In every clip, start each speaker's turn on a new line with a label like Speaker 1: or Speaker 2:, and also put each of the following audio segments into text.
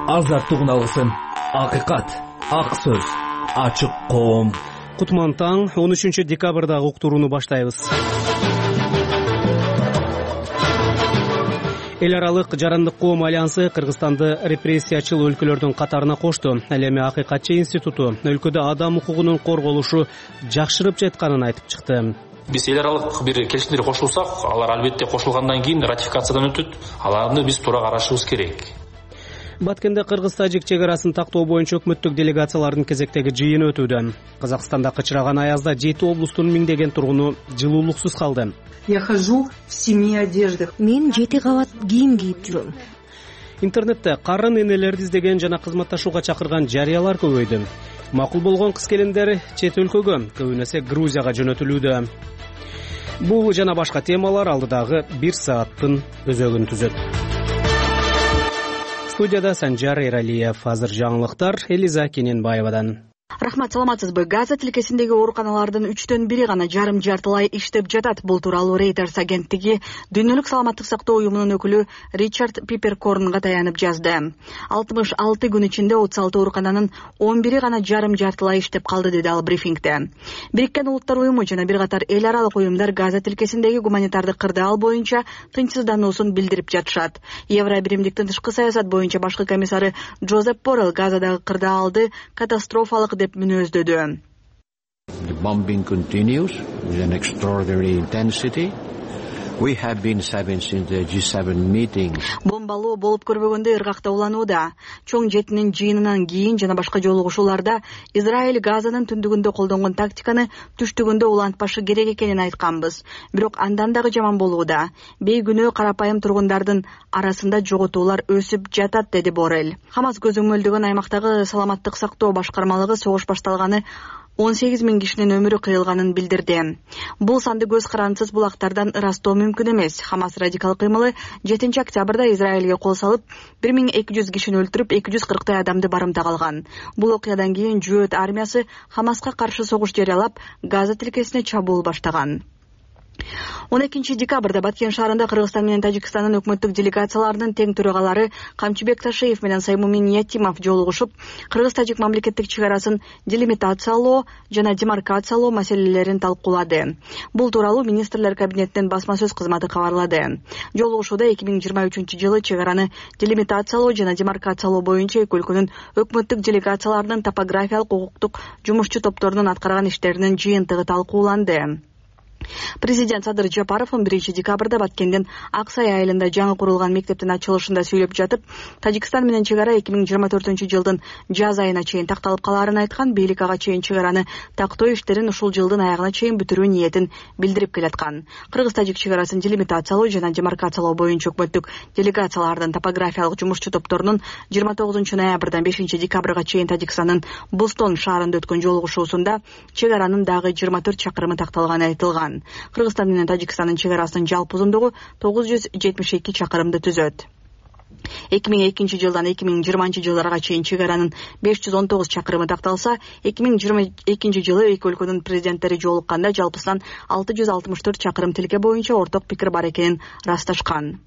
Speaker 1: азаттыгын алсын. Акыйкат, ак сөз, ачык коом.
Speaker 2: Кутман таң 13 декабрдагы уктурууну баштайбыз. Эл аралык жарандык коом альянсы Кыргызстанды репрессиячыл өлкөлөрдүн катарына кошту. Ал эми Акыйкатчы институту өлкөдө адам укугунун корголушу жакшырып жатканын айтып чыкты.
Speaker 3: Биз эл аралык бир келишимдерге кошулсак, алар албетте кошулгандан кийин ратификациядан өтөт. Аларды биз туура карашыбыз керек.
Speaker 2: Баткенде Кыргыз-Тажик чек арасын тактоо боюнча өкмөттүк делегациялардын кезектеги жыйыны өтүүдө. Казакстанда кычыраган аязда 7 облустун миңдеген тургуну жылуулуксуз калды.
Speaker 4: Я хожу в 7 одеждах.
Speaker 5: Мен 7 кабат кийим кийип жүрөм.
Speaker 2: Интернетте карын энелерди издеген жана кызматташууга чакырган жарыялар көбөйдү. Макул болгон кыз келиндер чет өлкөгө, көбүн эсе Грузияга жөнөтүлүүдө. Бул жана башка темалар алдыдагы 1 сааттын өзөгүн түзөт. Студияда Санжар Эралиев. Азыр жаңылыктар Элиза Кененбаевадан.
Speaker 6: Рахмат, саламатсызбы? Газа тилкесиндеги ооруканалардын 3/4 гана жарым-жартылай иштеп жатат. Бул тууралуу Reuters агенттиги Дүйнөлүк саламаттык сактоо уюмунун өкүлү Ричард Пиперкорнго таянып жазды. 66 күн ичинде 36 оорукананын 11 гана жарым-жартылай иштеп калды, деди ал брифингде. Бириккен Улуттар уюму жана бир катар эл аралык уюмдар Газа тилкесиндеги гуманитардык кырдаал боюнча тынчсыздануусун билдирип жатышат. Евробиримдиктин тышкы саясат боюнча башкы комиссары Джозеп Боррелл Газадагы кырдаалды катастрофалык деп мүнөздөдү.
Speaker 7: The bombing continues with an extraordinary intensity. We have been having since the G7 meeting.
Speaker 6: Бомбалоо болуп көрбөгөндө ыргакта уланууда. Чоң жетинин жыйынынан кийин жана башка жолугушууларда Израиль Газанын түндүгүндө колдонгон тактиканы түштүгүндө улантпашы керек экенин айтканбыз. Бирок андан дагы жаман болууда. Бейгүнөө карапайым тургундардын арасында жоготуулар өсүп жатат, деди Боррелл. Хамас көзөмөлдөгөн аймактагы саламаттык сактоо башкармалыгы согуш башталганы 18 000 кишинин өмүрү кыйылганын билдирди. Бул санды көз карансыз булактардан ырастоо мүмкүн эмес. Хамас радикал кыймылы 7 октябрда Израилге кол салып, 1200 кишини өлтүрүп, 240 адамды барымтак алган. Бул окуядан кийин Жөөт армиясы Хамаска каршы согуш жарыялап, Газа тилкесине чабуул баштаган. 12 декабрда Баткен шаарында Кыргызстан менен Тажикстандын өкмөттүк делегацияларынын тең төрагалары Камчыбек Ташиев менен Саймумин Ятимов жолугушуп, Кыргыз-Тажик мамлекеттик чек арасын делимитациялоо жана демаркациялоо маселелерин талкуулады. Бул тууралуу министрлер кабинетинин басма сөз кызматы кабарлады. Жолугушууда 2023-жылы чек араны делимитациялоо жана демаркациялоо боюнча эки өлкөнүн өкмөттүк делегацияларынын топографиялык укуктук жумушчу топторунун аткарган иштеринин жыйынтыгы талкууланды. Президент Садыр Жапаров 1 декабрда Баткенден Аксай айылында жаңы курулган мектептин ачылышында сүйлөп жатып, Тажикстан менен чек ара 2024-жылдын жаз айына чейин такталып калаарын айткан. Бийлик ага чейин чек араны тактоо иштерин ушул жылдын аягына чейин бүтүрүү ниетин билдирип келаткан. Кыргыз-Тажик чек арасын делимитациялоо жана демаркациялоо боюнча өкмөттүк делегациялардын топографиялык жумушчу топторунун 29 ноябрдан 5 декабрга чейин Тажикстандын Бустон шаарында өткөн жолугушуусунда чек аранын дагы 24 чакырымы такталганы айтылган. Кыргызстан менен Тажикстандын чек арасынын жалпы узундугу 972 чакырымды түзөт. 2002-жылдан 2020-жылдарга чейин чек аранын 519 чакырымы такталса, 2022-жылы эки өлкөнүн президенттери жолукканда жалпысынан 664 чакырым тилке боюнча орток пикир бар экенин ырасташкан.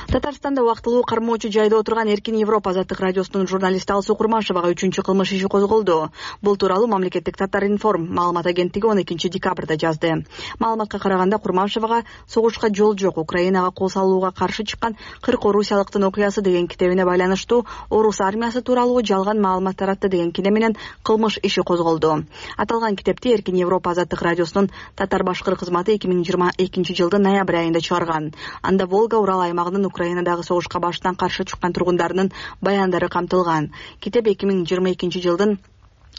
Speaker 6: Татарстанда убактылуу кармоочу жайда отурган Эркин Европа азаттык радиосунун журналисти Алсуу Курмашевага 3-чү кылмыш иши козголду. Бул тууралуу мамлекеттик Татар-информ маалымат агенттиги 12 декабрда жазды. Маалыматка караганда Курмашевага согушка жол жок, Украинага кол салууга каршы чыккан 40 орусиялыктын окуясы деген китебине байланыштуу орус армиясы тууралуу жалган маалымат таратты деген кине менен кылмыш иши козголду. Аталган китепти Эркин Европа азаттык радиосунун татар-башкыр кызматы 2022-жылдын ноябрь айында чыгарган. Анда Волга-Урал аймагынын Украинадагы согушка баштан каршы чыккан тургундарынын баяндары камтылган. Китеп 2022-жылдын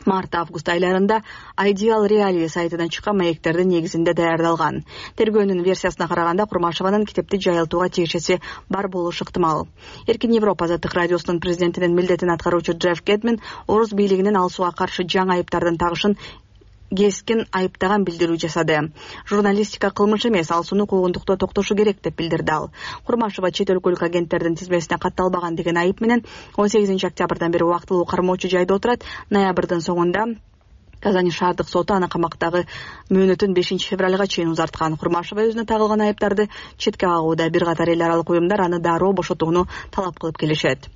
Speaker 6: март-август айларында Ideal Reality сайтынан чыккан маектердин негизинде даярдалган. Тергөөнүн версиясына караганда Курмашеванын китепти жайылтууга тиешеси бар болушу ыктымал. Эркин Европа азаттык радиосунун президентинин милдетин аткаруучу Джефф Кетмен орус бийлигинин Алсууга каршы жаңы айыптардын тагышын кескин айыптаган билдирүү жасады. Журналистика кылмыш эмес, Алсууну куугунтукта токтошу керек деп билдирди ал. Курмашева чет өлкөлүк агенттердин тизмесине катталбаган деген айып менен 18 октябрдан бери убактылуу кармоочу жайда отурат. Ноябрдын соңунда Казань шаардык соту аны камактагы мөөнөтүн 5-февралга чейин узарткан. Курмашева өзүнө тагылган айыптарды четке кагууда. Бир катар эл аралык уюмдар аны дароо бошотууну талап кылып келишет.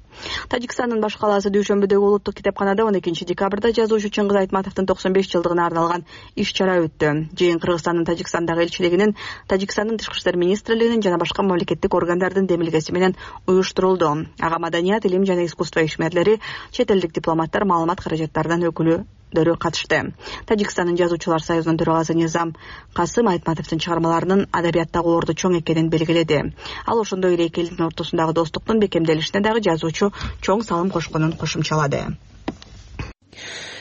Speaker 6: Тажикстандын баш калаасы Дүйшөмбүдөгү улуттук китепканада 12 декабрда жазуучу Чыңгыз Айтматовдун 95 жылдыгына арналган иш-чара өттү. Жыйын Кыргызстандын Тажикстандагы элчилигинин, Тажикстандын Тышкы иштер министрлигинин жана башка мамлекеттик органдардын демилгеси менен уюштурулду. Ага маданият, илим жана искусство ишмерлери, чет элдик дипломаттар, маалымат каражаттарынан өкүлдөрү катышты. Тажикстандын жазуучулар союзунун төрагасы Низам Касым Айтматовдун чыгармаларынын адабияттагы орду чоң экенин белгиледи. Ал ошондой эле эки элдин ортосундагы достуктун бекемделишине дагы жазуучу чоң салым кошконун кошумчалады.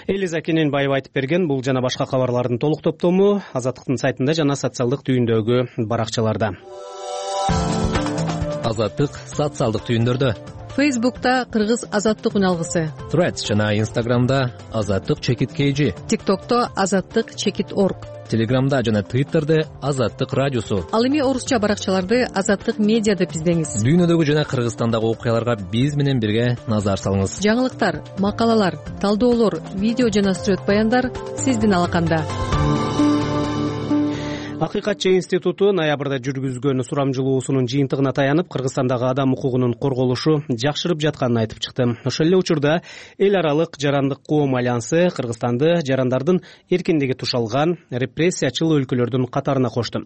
Speaker 2: Элиза Кененбаева айтып берген. Бул жана башка кабарлардын толук топтому Азаттыктын сайтында жана социалдык түйүндөгү баракчаларда.
Speaker 1: Азаттык социалдык түйүндөрдө.
Speaker 8: Фейсбукта Кыргыз Азаттык үналгысы.
Speaker 1: Threads жана Instagramда Азаттык_KG.
Speaker 8: ТикТокто Азаттык_org.
Speaker 1: Телеграмда жана Твиттерде Азаттык радиосу.
Speaker 8: Ал эми орусча баракчаларды Азаттык медиа деп издеңиз.
Speaker 1: Дүйнөдөгү жана Кыргызстандагы окуяларга биз менен бирге назар салыңыз.
Speaker 8: Жаңылыктар, макалалар, талдоолор, видео жана сүрөт баяндар сиздин алаканда.
Speaker 2: Акыйкатчы институту ноябрда жүргүзгөн сурамжылоосунун жыйынтыгына таянып, Кыргызстандагы адам укугунун корголушу жакшырып жатканын айтып чыкты. Ошол эле учурда эл аралык жарандык коом альянсы Кыргызстанды жарандардын эркиндиги тушалган репрессиячыл өлкөлөрдүн катарына кошту.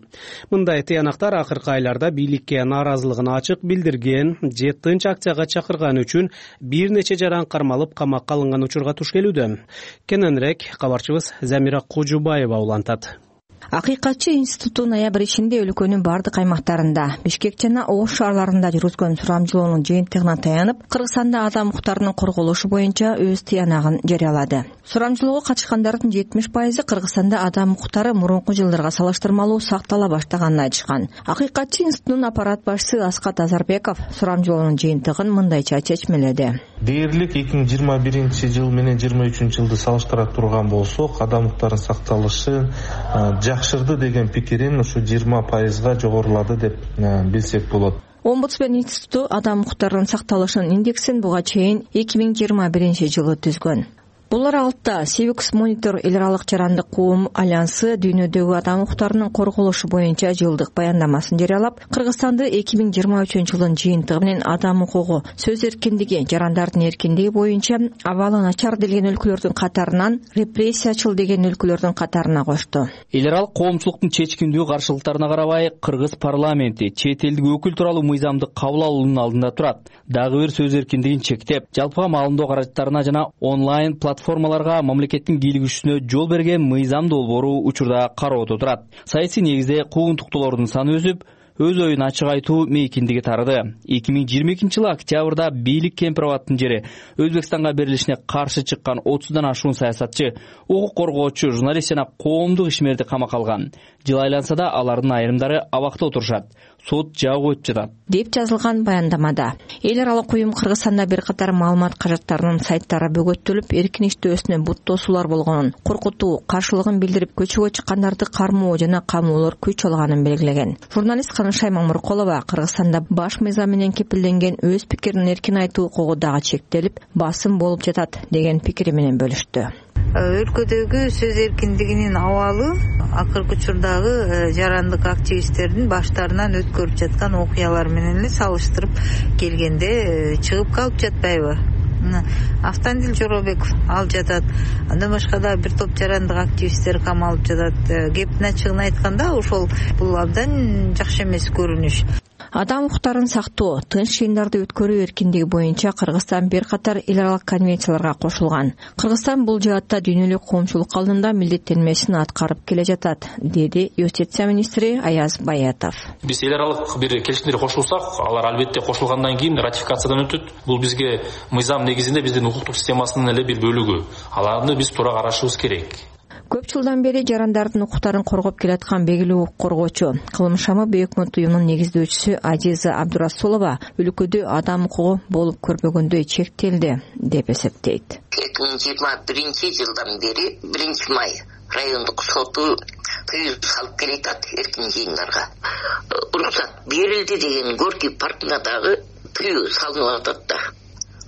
Speaker 2: Мындай тыянактар акыркы айларда бийликке нааразылыгын ачык билдирген же тынч акцияга чакырган үчүн бир нече жаран кармалып камакка алынган учурга туш келүүдө. Кененирээк кабарчыбыз Замира Кожубаева улантат.
Speaker 5: Акыйкатчы институту ноябрь ичинде өлкөнүн бардык аймактарында, Бишкек жана Ош шаарларында жүргүзгөн сурамжылоонун жыйынтыгына таянып, Кыргызстанда адам укуктарынын корголушу боюнча өз тыянагын жарыялады. Сурамжылоого катышкандардын 70% Кыргызстанда адам укуктары мурунку жылдарга салыштырмалуу сактала баштаганын айтышкан. Акыйкатчы институтунун аппарат башчысы Аскат Азарбеков сурамжылоонун жыйынтыгын мындайча чечмеледи.
Speaker 9: Дээрлик 2021 менен 2023 жылды салыштыра турган болсок, адам укуктарынын сакталышы жакшырды деген пикирин ушу 20%га жогорулады деп билсек болот.
Speaker 5: Омбудсмен институту адам укуктарынын сакталышынын индексин буга чейин 2021 жылы түзгөн. Бул аралыкта Civics Monitor эл аралык жарандык коом альянсы дүйнөдөгү адам укуктарынын корголушу боюнча жылдык баяндамасын жарыялап, Кыргызстанды 2023 жылдын жыйынтыгы менен адам укугу, сөз эркиндиги, жарандардын эркиндиги боюнча абалы начар делген өлкөлөрдүн катарынан репрессиячыл деген өлкөлөрдүн катарына кошту.
Speaker 10: Эл аралык коомчулуктун чечкиндүү каршылыктарына карабай, Кыргыз парламенти чет элдик өкүл тууралуу мыйзамды кабыл алуунун алдында турат. Дагы бир сөз эркиндигин чектеп, жалпыга маалымдоо каражаттарына жана онлайн платформаларга мамлекеттин кийлигишүүсүнө жол берген мыйзам долбоору учурда кароодо турат. Саясий негизде куугунтуктуулордун саны өсүп, өз оюн ачык айтуу мейкиндиги тарады. 2022 жылы октябрда бийлик кемпир-абадтын жери Өзбекстанга берилишине каршы чыккан 30дан ашуун саясатчы, укук коргоочу, журналист жана коомдук ишмерди камакка алган. Жыл айланса да алардын айрымдары абакта отурушат. Сот жабык өтүп жатат
Speaker 5: деп жазылган баяндамада. Эл аралык уюм Кыргызстанда бир катар маалымат каражаттарынын сайттары бөгөттөлүп, эркин иштөөсүнө бут тосуулар болгонун, коркутуу, каршылыгын билдирип көчөгө чыккандарды кармоо жана камоолор күч алганын белгилеген. Журналист Канышай Мамыркулова Кыргызстанда баш мыйзам менен кепилденген өз пикирин эркин айтуу укугу дагы чектелип, басым болуп жатат деген пикири менен бөлүштү.
Speaker 11: Өлкөдөгү сөз эркиндигинин абалы акыркы учурдагы жарандык активисттердин баштарынан өткөрүп жаткан окуялар менен эле салыштырып келгенде чыгып калып жатпайбы? Автандил Жоробеков ал жатат. Андан башка да бир топ жарандык активисттер камалып жатат. Кептин ачыгын айтканда, ошол бул абдан жакшы эмес көрүнүш.
Speaker 5: Адам укуктарын сактоо, тынч жыйындарды өткөрүү эркиндиги боюнча Кыргызстан бир катар эл аралык конвенцияларга кошулган. Кыргызстан бул жаатта дүйнөлүк коомчулук алдында милдеттенмесин аткарып келе жатат, деди юстиция министри Аяз Баятов.
Speaker 3: Биз эл аралык бир келишимдерге кошулсак, алар албетте кошулгандан кийин ратификациядан өтөт. Бул бизге мыйзам негизинде биздин укуктук системасынын эле бир бөлүгү. Аларды биз туура карашыбыз керек.
Speaker 5: Көп жылдан бери жарандардын укуктарын коргоп келаткан белгилүү укук коргоочу, Кылымшамы Бөкмөт уюмунун негиздөөчүсү Азиза Абдурасулова өлкөдө адам укугу болуп көрбөгөндөй чектелди деп эсептейт.
Speaker 12: 2021 жылдан бери 1 май райондук соту тыюу салып келатат эркин жыйындарга. Уруксат берилди деген Горький паркына дагы тыюу салынып атат да.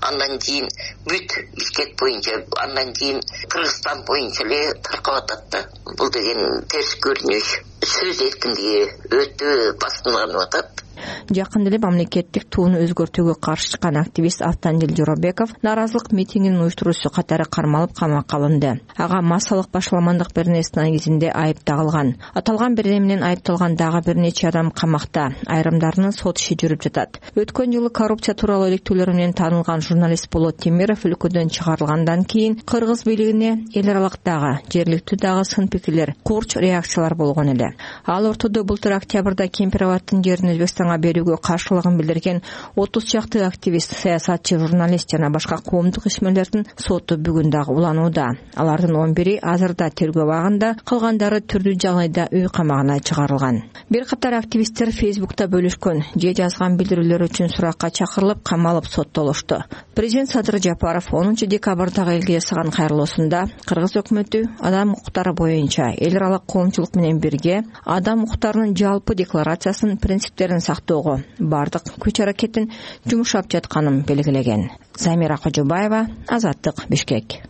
Speaker 12: андан кийин бүт Бишкек боюнча, андан кийин Кыргызстан боюнча эле таркап атат да. Бул деген терс көрүнүш. Сөз эркиндиги өтө басымдалып атат.
Speaker 5: Жакында эле мамлекеттик тууну өзгөртүүгө каршы чыккан активист Автандил Жоробеков нааразылык митингинин уюштуруучусу катары кармалып камакка алынды. Ага массалык башаламандык беренеси негизинде айып тагылган. Аталган берене менен айыпталган дагы бир нече адам камакта. Айрымдарынын сот иши жүрүп жатат. Өткөн жылы коррупция тууралуу иликтөөлөр менен таанылган журналист Болот Темиров өлкөдөн чыгарылгандан кийин кыргыз бийлигине эл аралык дагы, жергиликтүү дагы сын пикирлер, курч реакциялар болгон эле. Ал ортодо былтыр октябрда Кемпир-Абадтын жерин Өзбекстанга берүүгө каршылыгын билдирген 30 чакты активист, саясатчы, журналист жана башка коомдук ишмерлердин соту бүгүн дагы уланууда. Алардын 11-и азырда тергөө абагында, калгандары түрдүү жагдайда үй камагына чыгарылган. Бир катар активисттер Фейсбукта бөлүшкөн же жазган билдирүүлөр үчүн суракка чакырылып, камалып соттолушту. Президент Садыр Жапаров 10 декабрдагы элге жасаган кайрылуусунда Кыргыз өкмөтү адам укуктары боюнча эл аралык коомчулук менен бирге адам укуктарынын жалпы декларациясынын принциптерин сактоого бардык күч аракетин жумшап жатканын белгилеген. Замира Кожобаева, Азаттык, Бишкек.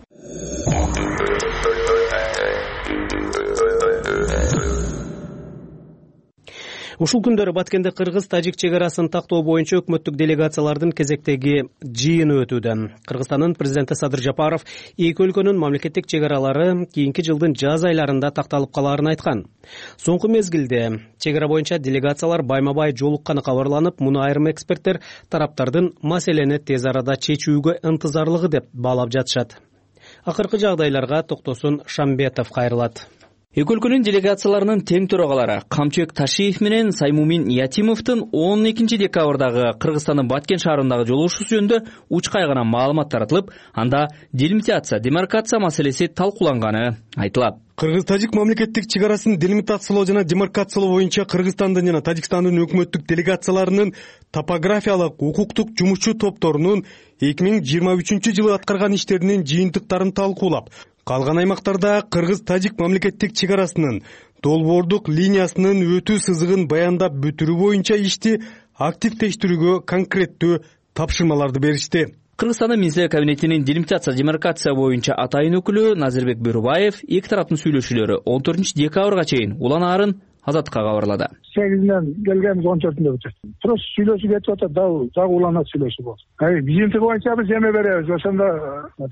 Speaker 2: Ушул күндөрү Баткенде кыргыз-тажик чек арасын тактоо боюнча өкмөттүк делегациялардын кезектеги жыйыны өтүүдө. Кыргызстандын президенти Садыр Жапаров эки өлкөнүн мамлекеттик чек аралары кийинки жылдын жаз айларында такталып калаарын айткан. Соңку мезгилде чек ара боюнча делегациялар байма-бай жолукканы кабарланып, муну айрым эксперттер тараптардын маселени тез арада чечүүгө ынтызарлыгы деп баалап жатышат. Акыркы жагдайларга токтосун Шамбетов кайрылат.
Speaker 10: Эки өлкөнүн делегацияларынын тең төрагалары Камчыбек Ташиев менен Саймумин Ятимовдун 12 декабрдагы Кыргызстандын Баткен шаарындагы жолугушуусу жөнүндө уч кайгана маалымат таратылып, анда делимитация, демаркация маселеси талкууланганы айтылат.
Speaker 13: Кыргыз-тажик мамлекеттик чек арасын делимитациялоо жана демаркациялоо боюнча Кыргызстандын жана Тажикстандын өкмөттүк делегацияларынын топографиялык, укуктук жумушчу топторунун 2023 жылы аткарган иштеринин жыйынтыктарын талкуулап, калган аймактарда кыргыз-тажик мамлекеттик чек арасынын долбоордук линиясынын өтүү сызыгын баяндап бүтүрүү боюнча ишти активдештирүүгө конкреттүү тапшырмаларды беришти.
Speaker 10: Кыргызстандын Министрлер кабинетинин делимитация, демаркация боюнча атайын өкүлү Назирбек Бөрүбаев эки тараптын сүйлөшүүлөрү 14 декабрга чейин уланаарын Азаттыкка кабарлады.
Speaker 14: 8-ден келгенбиз 14-нде бүтөт. Просто сүйлөшүп кетип атат, дагы уланат сүйлөшүп болсун. Бизинки боюнча биз эме беребиз. Ошондо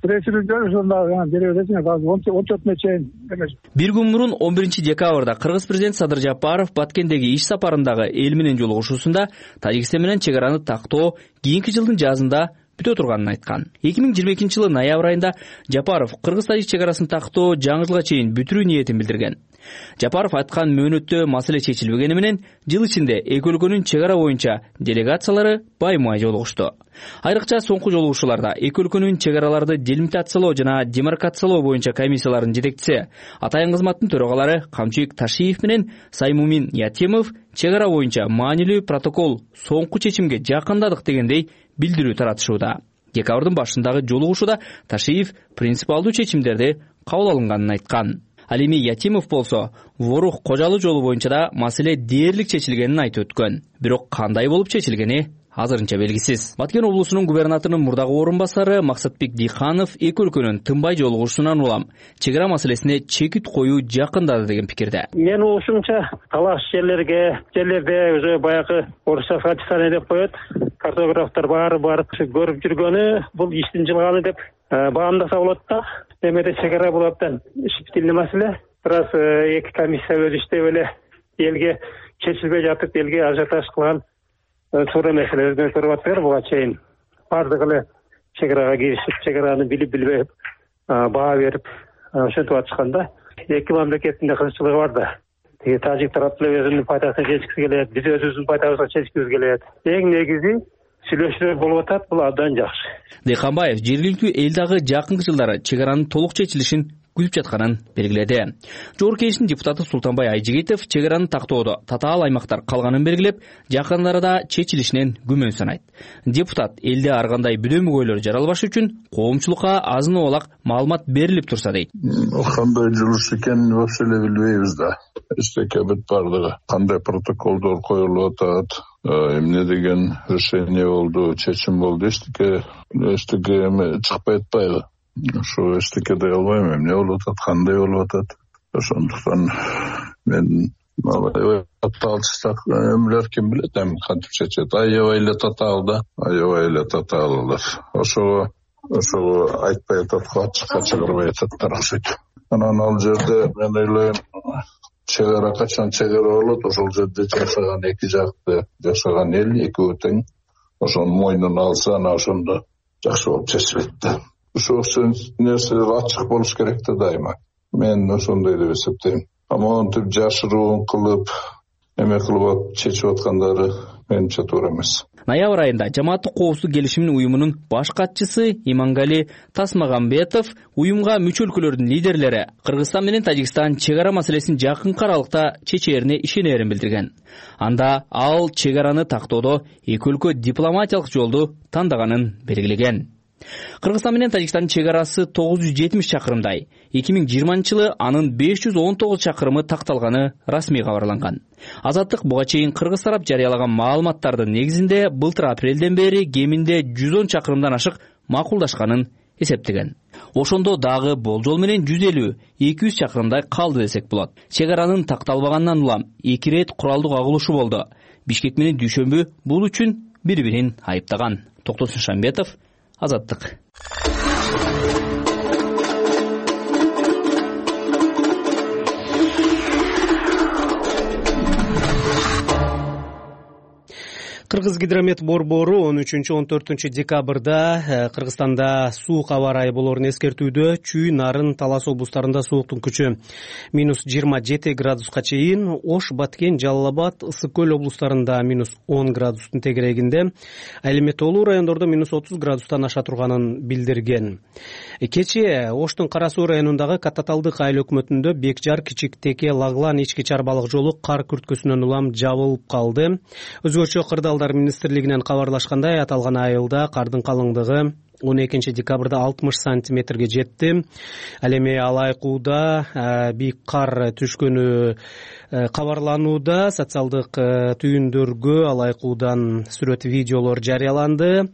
Speaker 14: пресс-релиздер ошондо бере бересиңер, азыр 14-нө чейин эмес.
Speaker 10: Бир күн мурун 11 декабрда Кыргыз президенти Садыр Жапаров Баткендеги иш сапарындагы эл менен жолугушуусунда Тажикстан менен чек араны тактоо кийинки жылдын жазында бүтө турганын айткан. 2022 жылы ноябрь айында Жапаров Кыргыз-тажик чек арасын тактоо жаңы жылга чейин бүтүрүү ниетин билдирген. Жапаров айткан мөөнөттө маселе чечилбегени менен жыл ичинде эки өлкөнүн чек ара боюнча делегациялары байма-бай жолугушту. Айрыкча соңку жолугушууларда эки өлкөнүн чек араларды делимитациялоо жана демаркациялоо боюнча комиссиялардын жетекчиси, атайын кызматтын төрагалары Камчыбек Ташиев менен Саймумин Ятимов чек ара боюнча маанилүү протокол соңку чечимге жакындадык дегендей билдирүү таратышууда. Декабрдын башындагы жолугушууда Ташиев принципиалдуу чечимдерди кабыл алынганын айткан. Ал эми Ятимов болсо Ворух Кожалуу жолу боюнча да маселе дээрлик чечилгенин айтып өткөн. Бирок кандай болуп чечилгени азырынча белгисиз. Баткен облусунун губернаторунун мурдагы орун басары Максатбек Диханов эки өлкөнүн тынбай жолугушуусунан улам чек ара маселесине чекит коюу жакындады деген пикирде.
Speaker 15: Мен ушунча талаш жерлерде уже баягы орусча расписание деп коет. Картографтар баары барып көрүп жүргөнү бул иштин жылганы деп баамдаса болот да. Эмеде чек ара бул абдан щепетильный маселе. Бираз эки комиссия өз иштеп эле элге чечилбей жатып, элге ажиотаж кылган туура маселелерди көрүп атпайбы буга чейин. Бардыгы эле чек арага киришип, чек араны билип билбей баа берип ошентип атышкан да. Эки мамлекеттин да кызыкчылыгы бар да. Тажик тарап деле өзүнүн пайдасына чечкиси келет, биз өзүбүздүн пайдабызга чечкибиз келет. Эң негизи сүйлөшүүлөр болуп атат, бул абдан жакшы.
Speaker 10: Дыйканбаев жергиликтүү эл дагы жакынкы жылдары чек аранын толук чечилишин күтүп жатканын белгиледи. Жогорку Кеңештин депутаты Султанбай Айжигитов чек араны тактоодо татаал аймактар калганын белгилеп, жакын арада чечилишинен күмөн санайт. Депутат элде ар кандай бүдөмөгөйлөр жаралбаш үчүн коомчулукка азын оолак маалымат берилип турса дейт.
Speaker 16: Кандай жылыш экенин вообще эле билбейбиз да. Эстекебит бардыгы. Кандай протоколдор коюлуп атат, эмне деген решение болду, чечим болду, эчтеке чыкпай атпайбы. Ошо эчтеке дей албайм, эмне болуп атат, кандай болуп атат. Ошондуктан мен татаалчылык эмелер ким билет, эми кантип чечет. Аябай эле татаалылар. Ошого айтпай атат, ачыкка чыгарбай ататтар окшойт. Анан ал жерде мен ойлойм, чек ара качан чек ара болот, ошол жерде жашаган эки жакты, жашаган эл экөө тең ошонун мойнуна алса, анан ошондо жакшы болуп чечилет да. Ошол нерселер ачык болуш керек да дайыма. Мен ошондой деп эсептейм. Монтип жашыруун кылып, эме кылып чечип аткандары менимче туура эмес.
Speaker 10: Ноябрь айында Жамааттык коопсуздук келишимин уюмунун баш катчысы Имангали Тасмагамбетов уюмга мүчө өлкөлөрдүн лидерлери Кыргызстан менен Тажикстан чек ара маселесин жакынкы аралыкта чечээрине ишенерин билдирген. Анда ал чек араны тактоодо эки өлкө дипломатиялык жолду тандаганын белгилеген. Кыргызстан менен Тажикстандын чек арасы 970 чакырымдай. 2020-жылы анын 519 чакырымы такталганы расмий кабарланган. Азаттык буга чейин кыргыз тарап жарыялаган маалыматтардын негизинде былтыр апрелден бери кеминде 110 чакырымдан ашык макулдашканын эсептеген. Ошондо дагы болжол менен 150-200 чакырымдай калды десек болот. Чек аранын такталбагандан улам 2 рет куралдык агылышы болду. Бишкек менен Дүйшөмбү бул үчүн бири-бирин айыптаган. Токтосун Шамбетов, Азаттык.
Speaker 2: Кыргызгидромет борбору 13-14 декабрда Кыргызстанда суук аба ырайы болоорун эскертүүдө. Чүй, Нарын, Талас облустарында сууктун күчү -27 градуска чейин, Ош, Баткен, Жалал Абад, Ысык көл облустарында -10 градустун тегерегинде, ал эми тоолуу райондордо -30 градустан аша турганын билдирген. Кечээ Оштун Кара Суу районундагы Каттаталдык айыл өкмөтүндө Бекжар, Кичик Теке, Лаглан, Ички Чарбалык жолу кар күрткөсүнөн улам жабылып калды. Өзгөчө Кырдаалдар министрлигинен кабарлашкандай, аталган айылда кардын калыңдыгы 12 декабрда 60 сантиметрге жетти. Ал эми Алайкууда бийик кар түшкөнү кабарланууда. Социалдык түйүндөргө Алайкуудан сүрөт, видеолор жарыяланды.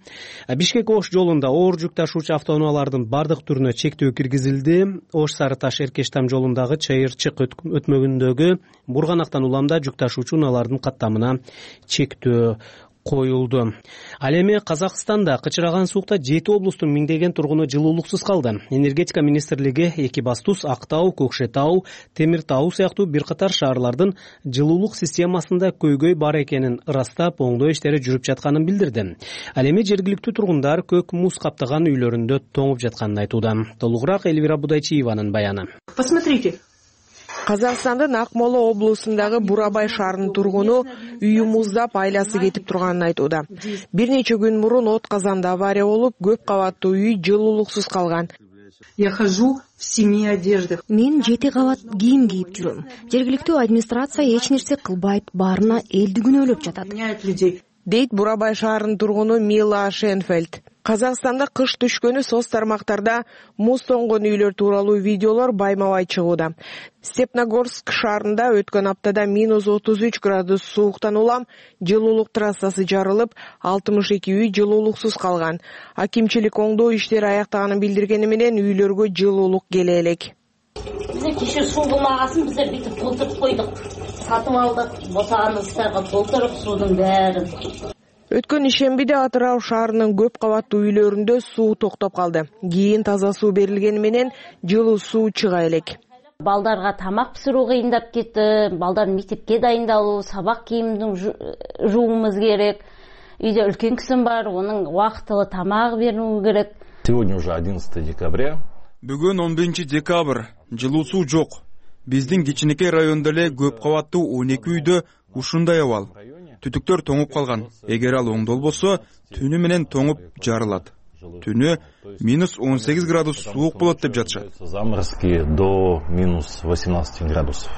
Speaker 2: Бишкек Ош жолунда оор жүк ташуучу автоунаалардын бардык түрүнө чектөө киргизилди. Ош Сары Таш Эркештам жолундагы Чайырчык өтмөгүндөгү Бурганактан уламда жүк ташуучу унаалардын каттамына чектөө коюлду. Ал эми Казакстанда кычыраган суукта 7 облустун миңдеген тургуну жылуулуксуз калды. Энергетика министрлиги Экибастуз, Актау, Көкшетау, Темир Тау сыяктуу бир катар шаарлардын жылуулук системасында көйгөй бар экенин ырастап, оңдоо иштери жүрүп жатканын билдирди. Ал эми жергиликтүү тургундар көк муз каптаган үйлөрүндө тоңуп жатканын айтууда. Толугураак Элвира Будайчиеванын баяны.
Speaker 17: Посмотрите. Казакстандын Акмола облусундагы Бурабай шаарынын тургуну үйү муздап, айласы кетип турганын айтууда. Бир нече күн мурун от казанда авария болуп, көп кабаттуу үй жылуулуксуз калган.
Speaker 4: Я хожу в 7 одеждах.
Speaker 18: Мен 7 кабат кийим кийип жүрөм. Жергиликтүү администрация эч нерсе кылбайт, баарына элди күнөөлөп жатат.
Speaker 17: Дейт Бурабай шаарынын тургуну Мила Шенфельд. Казакстанда кыш түшкөнү соц тармактарда муз тоңгон үйлөр тууралуу видеолор байма-бай чыгууда. Степногорск шаарында өткөн аптада -33 градус сууктан улам жылуулук трассасы жарылып, 62 үй жылуулуксуз калган. Акимчилик оңдоо иштери аяктаганын билдиргени менен үйлөргө жылуулук келе элек.
Speaker 19: Биз кеше суу булмагасын биз бүтүп толтуруп койдук. Сатып алдык, босаган ыдыстарга толтуруп суунун баарын.
Speaker 17: Өткөн ишембиде Атырау шаарынын көп кабаттуу үйлөрүндө суу токтоп калды. Кийин таза суу берилгени менен жылуу суу чыга элек.
Speaker 19: Балдарга тамак пиширүү кыйындап кетти. Балдар мектепке дайындалуу, сабак кийимдин жууумуз керек. Үйдө үлкен кишим бар, онун убактылуу тамак берүү керек.
Speaker 20: Сегодня уже 11 декабря.
Speaker 21: Бүгүн 11 декабрь. Жылуу суу жок. Биздин кичинекей райондо эле көп кабаттуу 12 үйдө ушундай абал. Түтүктөр тоңуп калган. Эгер ал оңдолбосо, түнү менен тоңуп жарылат. Түнү -18 градус суук болот деп жатышат.
Speaker 20: Заморозки до -18 градусов.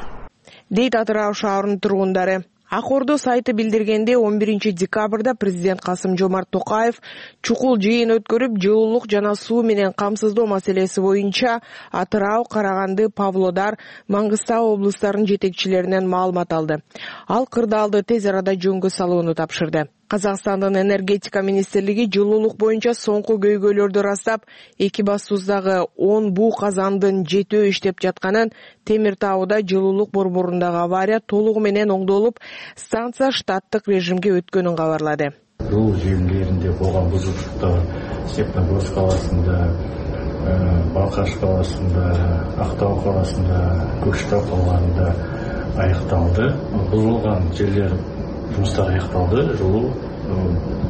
Speaker 17: Дейт Атырау шаарынын тургундары. Ак Ордо сайты билдиргенде 11 декабрда президент Касым-Жомарт Токаев чукул жыйын өткөрүп, жылуулук жана суу менен камсыздоо маселеси боюнча Атырау, Караганды, Павлодар, Маңгыстау облустарынын жетекчилеринен маалымат алды. Ал кырдаалды тез арада жөнгө салууну тапшырды. Казакстандын энергетика министрлиги жылуулук боюнча соңку көйгөйлөрдү ырастап, Экибастуздагы 10 буу казандын жетөө иштеп жатканын, Темир Тауда жылуулук борборундагы авария толугу менен оңдолуп, станция штаттык режимге өткөнүн кабарлады.
Speaker 7: Жылуу желилеринде болгон бузулуштар Степногорск каласында, Балкаш каласында, Актау каласында, Көкшетау калаларында аякталды. Бузулган жерлер жумуштар аякталды, жылуу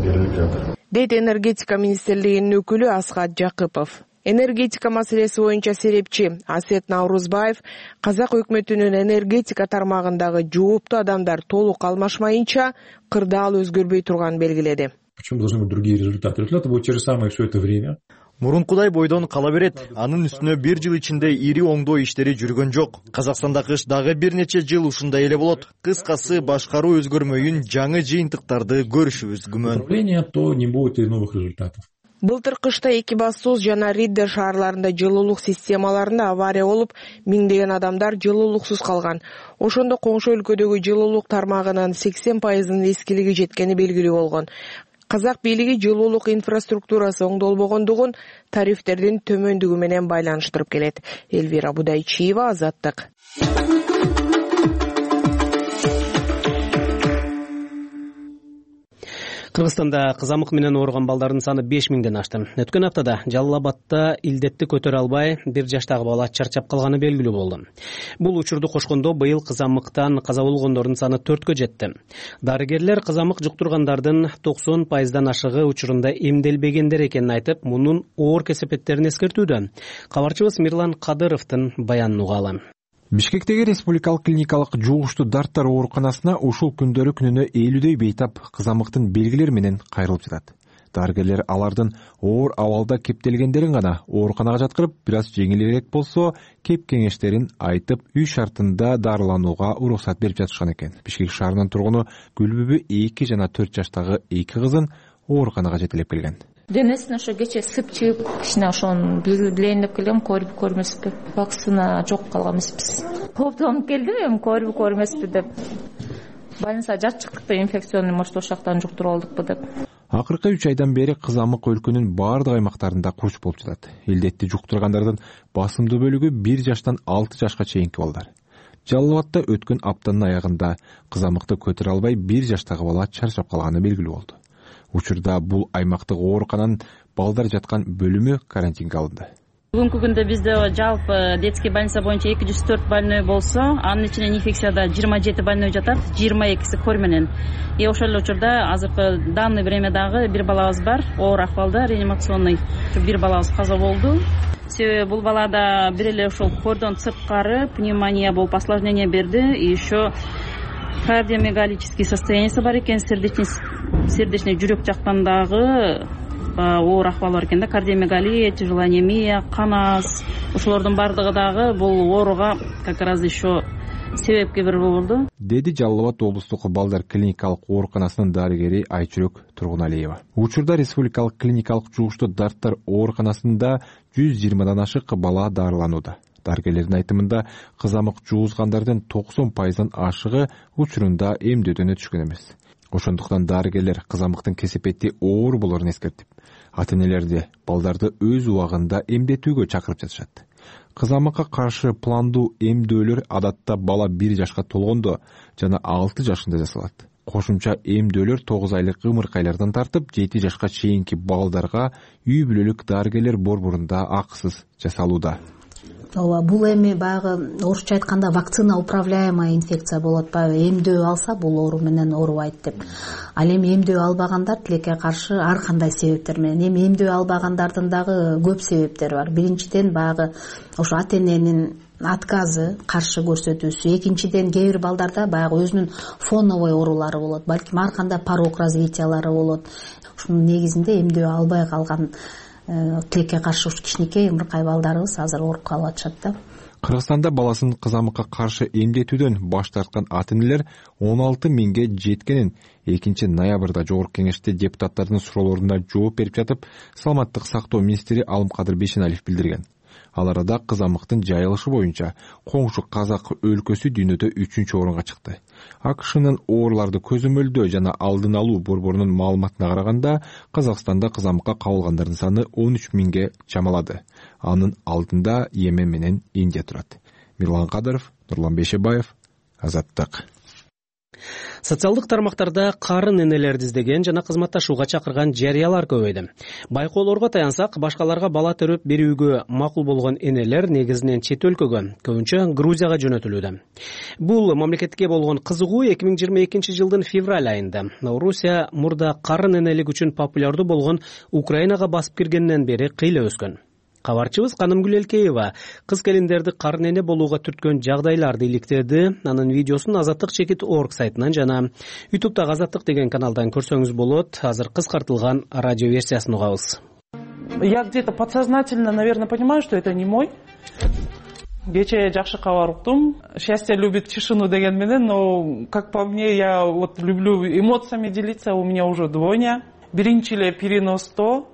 Speaker 7: берилип жатыр.
Speaker 17: Дейт энергетика министрлигинин өкүлү Асхат Жакыпов. Энергетика маселеси боюнча серепчи Асет Наурузбаев казак өкмөтүнүн энергетика тармагындагы жооптуу адамдар толук алмашмайынча кырдаал өзгөрбөй турганын белгиледи.
Speaker 22: Почему должны быть другие результаты? Результаты будут те же самые все это время.
Speaker 23: Мурункудай бойдон кала берет. Анын үстүнө 1 жыл ичинде ири оңдоо иштери жүргөн жок. Казакстанда кыш дагы бир нече жыл ушундай эле болот. Кыскасы башкаруу өзгөрмөйүн жаңы жыйынтыктарды көрүшүбүз күмөн.
Speaker 22: То не будет и новых результатов.
Speaker 17: Былтыр кышта Экибастуз жана Риддер шаарларында жылуулук системаларында авария болуп, миңдеген адамдар жылуулуксуз калган. Ошондо коңшу өлкөдөгү жылуулук тармагынын 80% эскилиги жеткени белгилүү болгон. Казак бийлиги жылуулук инфраструктурасы оңдолбогондугун тарифтердин төмөндүгү менен байланыштырып келет. Элвира Будайчиева, Азаттык.
Speaker 2: Кыргызстанда кызамык менен ооруган балдардын саны 5000ден ашты. Өткөн аптада Жалал Абадта илдетти көтөрө албай 1 жаштагы бала чарчап калганы белгилүү болду. Бул учурду кошкондо быйыл кызамыктан каза болгондордун саны 4кө жетти. Дарыгерлер кызамык жуктургандардын 90% ашыгы учурунда эмделбегендер экенин айтып, мунун оор кесепеттерин эскертүүдө. Кабарчыбыз Мирлан Кадыровдун баянын угалы.
Speaker 24: Бишкектеги республикалык клиникалык жугуштуу дарттар ооруканасына ушул күндөрү күнүнө 50дөй бейтап кызамыктын белгилери менен кайрылып жатат. Дарыгерлер алардын оор абалда кептелгендерин гана ооруканага жаткырып, бир аз жеңилирээк болсо кеп кеңештерин айтып, үй шартында дарыланууга уруксат берип жатышкан экен. Бишкек шаарынын тургуну Гүлбүбү 2 жана 4 жаштагы 2 кызын ооруканага жетелеп келген.
Speaker 25: Денесине ошо кече сып чыгып, кичине ошону билейин деп келгем, көрмөспү. Вакцина жок калган эмеспиз. Кооптонуп келдим, эми көрмөспү деп. Больницага жатчыктыкта инфекционный, может, ошоктан жуктуруп алдыкпы деп.
Speaker 24: Акыркы 3 айдан бери кызамык өлкөнүн баардык аймактарында куруч болуп жатат. Илдетти жуктургандардын басымдуу бөлүгү 1 жаштан 6 жашка чейинки балдар. Жалал Абадта өткөн аптанын аягында кызамыкты көтөрө албай 1 жаштагы бала чарчап калганы белгилүү болду. Учурда бул аймактык оорукананын балдар жаткан бөлүмү карантинге алынды.
Speaker 26: Бүгүнкү күндө бизде жалпы детский больница боюнча 204 больной болсо, анын ичинен инфекцияда 27 больной жатат, 22си кор менен. Ошол эле учурда азыркы данный времядагы бир балабыз бар, оор акыбалда, реанимационный. Бир балабыз каза болду. Себеби бул балада бир эле ошол кордон сырткары пневмония болуп осложнение берди, и еще кардиомегалический состояниясы бар экен, сердечный жүрөк жактан дагы оор акыбал бар экен да, кардиомегалия, тяжелая анемия, кан аз. Ошолордун бардыгы дагы бул ооруга как раз еще себепкер болду,
Speaker 24: деди Жалал Абад облустук балдар клиникалык ооруканасынын дарыгери Айчүрөк Тургуналиева. Учурда республикалык клиникалык жугуштуу дарттар ооруканасында 120дан ашык бала дарыланууда. Дарыгерлердин айтымында кызамык жугузгандардын 90%дан ашыгы учурунда эмдөөдөн өтүшкөн эмес. Ошондуктан дарыгерлер кызамыктын кесепети оор болорун эскертип, ата-энелерди балдарды өз убагында эмдетүүгө чакырып жатышат. Кызамыкка каршы пландуу эмдөөлөр адатта бала 1 жашка толгондо жана 6 жашында жасалат. Кошумча эмдөөлөр 9 айлык ымыркайлардан тартып 7 жашка чейинки балдарга үй бүлөлүк дарыгерлер борборунда акысыз жасалууда.
Speaker 27: Ооба, бул эми баягы орусча айтканда вакцина управляемая инфекция болот. Баягы эмдөө алса бул оору менен оорубайт деп. Ал эми эмдөө албагандар тилекке каршы ар кандай себептер менен. Эми эмдөө албагандардын дагы көп себептери бар. Биринчиден баягы ошо ата-эненин отказы, каршы көрсөтүүсү. Экинчиден кээ бир балдарда баягы өзүнүн фоновой оорулары болот. Балким ар кандай порог развитиялары болот. Ушунун негизинде эмдөө албай калган тилекке каршы кичинекей ымыркай балдарыбыз азыр ооруп калып атышат да.
Speaker 24: Кыргызстанда баласын кызамыкка каршы эмдетүүдөн баш тарткан ата энелер 16 миңге жеткенин 2 ноябрда жогорку кеңеште депутаттардын суроолоруна жооп берип жатып, саламаттык сактоо министри Алымкадыр Бейшеналиев билдирген. Ал арада кызамыктын жайылышы боюнча коңшу Казак өлкөсү дүйнөдө 3-орунга чыкты. АКШнын ооруларды көзөмөлдөө жана алдын алуу борборунун маалыматына караганда, Казакстанда кызамыкка кабылгандардын саны 13 миңге чамалады. Анын алдында Йемен менен Индия турат. Мирлан Кадыров, Нурлан Бейшебаев, Азаттык.
Speaker 2: Социалдык тармактарда карын энелерди издеген жана кызматташууга чакырган жарыялар көбөйдү. Байкоолорго таянсак, башкаларга бала төрөп берүүгө макул болгон энелер негизинен чет өлкөгө, көбүнчө Грузияга жөнөтүлүүдө. Бул мамлекетке болгон кызыгуу 2022 жылдын февраль айында Орусия мурда карын энелик үчүн популярдуу болгон Украинага басып киргенден бери кыйла өскөн. Кабарчыбыз Канымгүл Элкеева кыз келиндерди карын эне болууга түрткөн жагдайларды иликтеди. Анын видеосун Азаттык.org сайтынан жана YouTube'дагы Азаттык деген каналдан көрсөңүз болот. Азыр кыскартылган радио версиясын угабыз.
Speaker 1: Я где-то подсознательно, наверное, понимаю, что это не мой. Кечээ жакшы кабар уктум. Счастье любит тишину деген менен, но как по мне, я вот люблю эмоциями делиться, у меня уже двойня. Биринчи эле переносто.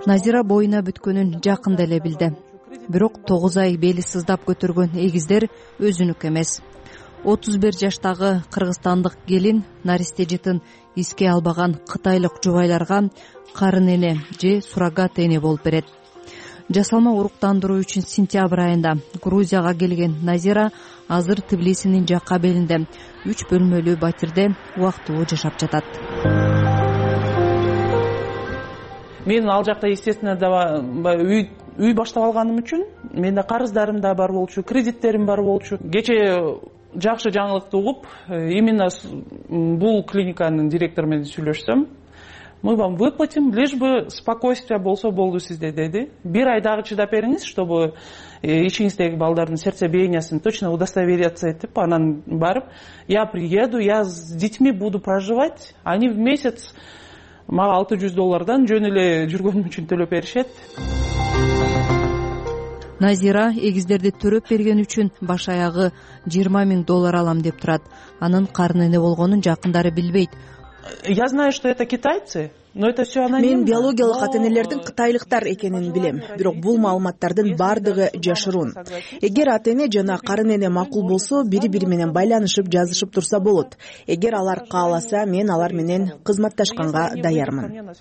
Speaker 5: Назира боюна бүткөнүн жакында эле билди. Бирок 9 ай бели сыздап көтөргөн эгиздер өзүнүк эмес. 31 жаштагы кыргызстандык келин наристе жытын эске албаган кытайлык жубайларга карын эне же суррогат эне болуп берет. Жасалма уруктандыруу үчүн сентябрь айында Грузияга келген Назира азыр Тбилисинин жакка белинде 3 бөлмөлүү батирде убактылуу жашап жатат.
Speaker 1: Мен ал жакта, естественно, үй баштап алганым үчүн менде карыздарым да бар болчу, кредиттерим бар болчу. Кечээ жакшы жаңылыкты угуп, именно бул клиниканын директору менен сүйлөшсөм, мы вам выплатим, лишь бы спокойствие болсо болду сизде, деди. 1 ай дагы чыдап бериңиз, чтобы ичиңиздеги балдардын сердцебиениясын точно удостовериться этип, анан барып, я приеду, я с детьми буду проживать, они в месяц мага $600 жөн эле жүргөнүм үчүн төлөп беришет.
Speaker 5: Назира эгиздерди төрөп берген үчүн баш аягы $20 000 алам деп турат. Анын карын эне болгонун жакындары билбейт.
Speaker 1: Я знаю, что это китайцы. Но это все анонимно.
Speaker 3: Мен биологиялык ата энелердин кытайлыктар экенин билем, бирок бул маалыматтардын бардыгы жашыруун. Эгер ата эне жана карын эне макул болсо, бири-бири менен байланышып, жазышып турса болот. Эгер алар кааласа, мен алар менен кызматташканга даярмын.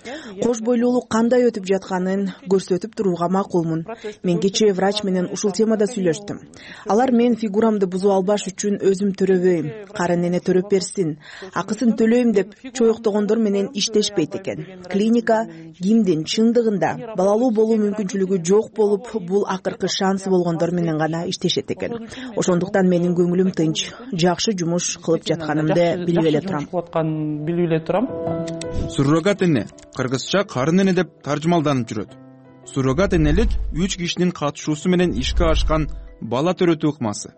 Speaker 3: Кош бойлуулук кандай өтүп жатканын көрсөтүп турууга макулмун. Мен кечээ врач менен ушул темада сүйлөштүм. Алар мен фигурамды бузуп албаш үчүн өзүм төрөбөйм, карын эне төрөп берсин, акысын төлөйм деп чоюктогондор менен иштешпейт экен. Клиника кимдин чындыгында балалуу болуу мүмкүнчүлүгү жок болуп, бул акыркы шансы болгондор менен гана иштешет экен. Ошондуктан менин көңүлүм тынч, жакшы жумуш кылып жатканымды билип эле турам.
Speaker 21: Суррогат эне кыргызча карын эне деп таржымалданып жүрөт. Суррогат энелик 3 кишинин катышуусу менен ишке ашкан бала төрөтүү ыкмасы.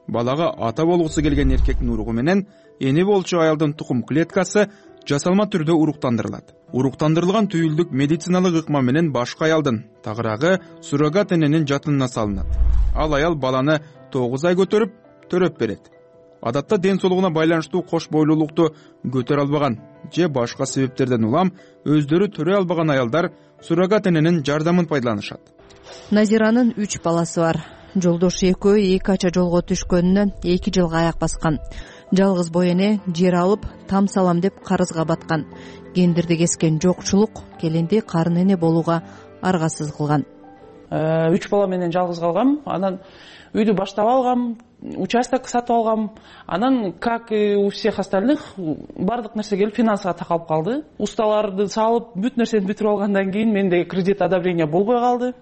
Speaker 21: Балага ата болгусу келген эркектин уругу менен эне болчу аялдын тукум клеткасы жасалма түрдө уруктандырылат. Уруктандырылган түйүлдүк медициналык ыкма менен башка аялдын тагыраагы суррогат эненин жатынына салынат. Ал аял баланы 9 ай көтөрүп, төрөп берет. Адатта ден соолугуна байланыштуу кош бойлуулукту көтөрө албаган же башка себептерден улам өздөрү төрөй албаган аялдар суррогат эненин жардамын пайдаланышат.
Speaker 5: Назиранын 3 баласы бар. Жолдошу экөө 2 ача жолго түшкөнүнө 2 жылга аяк баскан. Жалгыз бой эне жер алып, там салам деп карызга баткан. Гендерди кескен жокчулук келинди карын эне болууга аргасыз кылган.
Speaker 1: 3 бала менен жалгыз калгам. Анан үйдү баштап алгам, участок сатып алгам. Анан, как и у всех остальных, бардык нерсе келип финансыга такалып калды. Усталарды салып, бүт нерсени бүтүрүп алгандан кийин менде кредит одобрение болбой калды.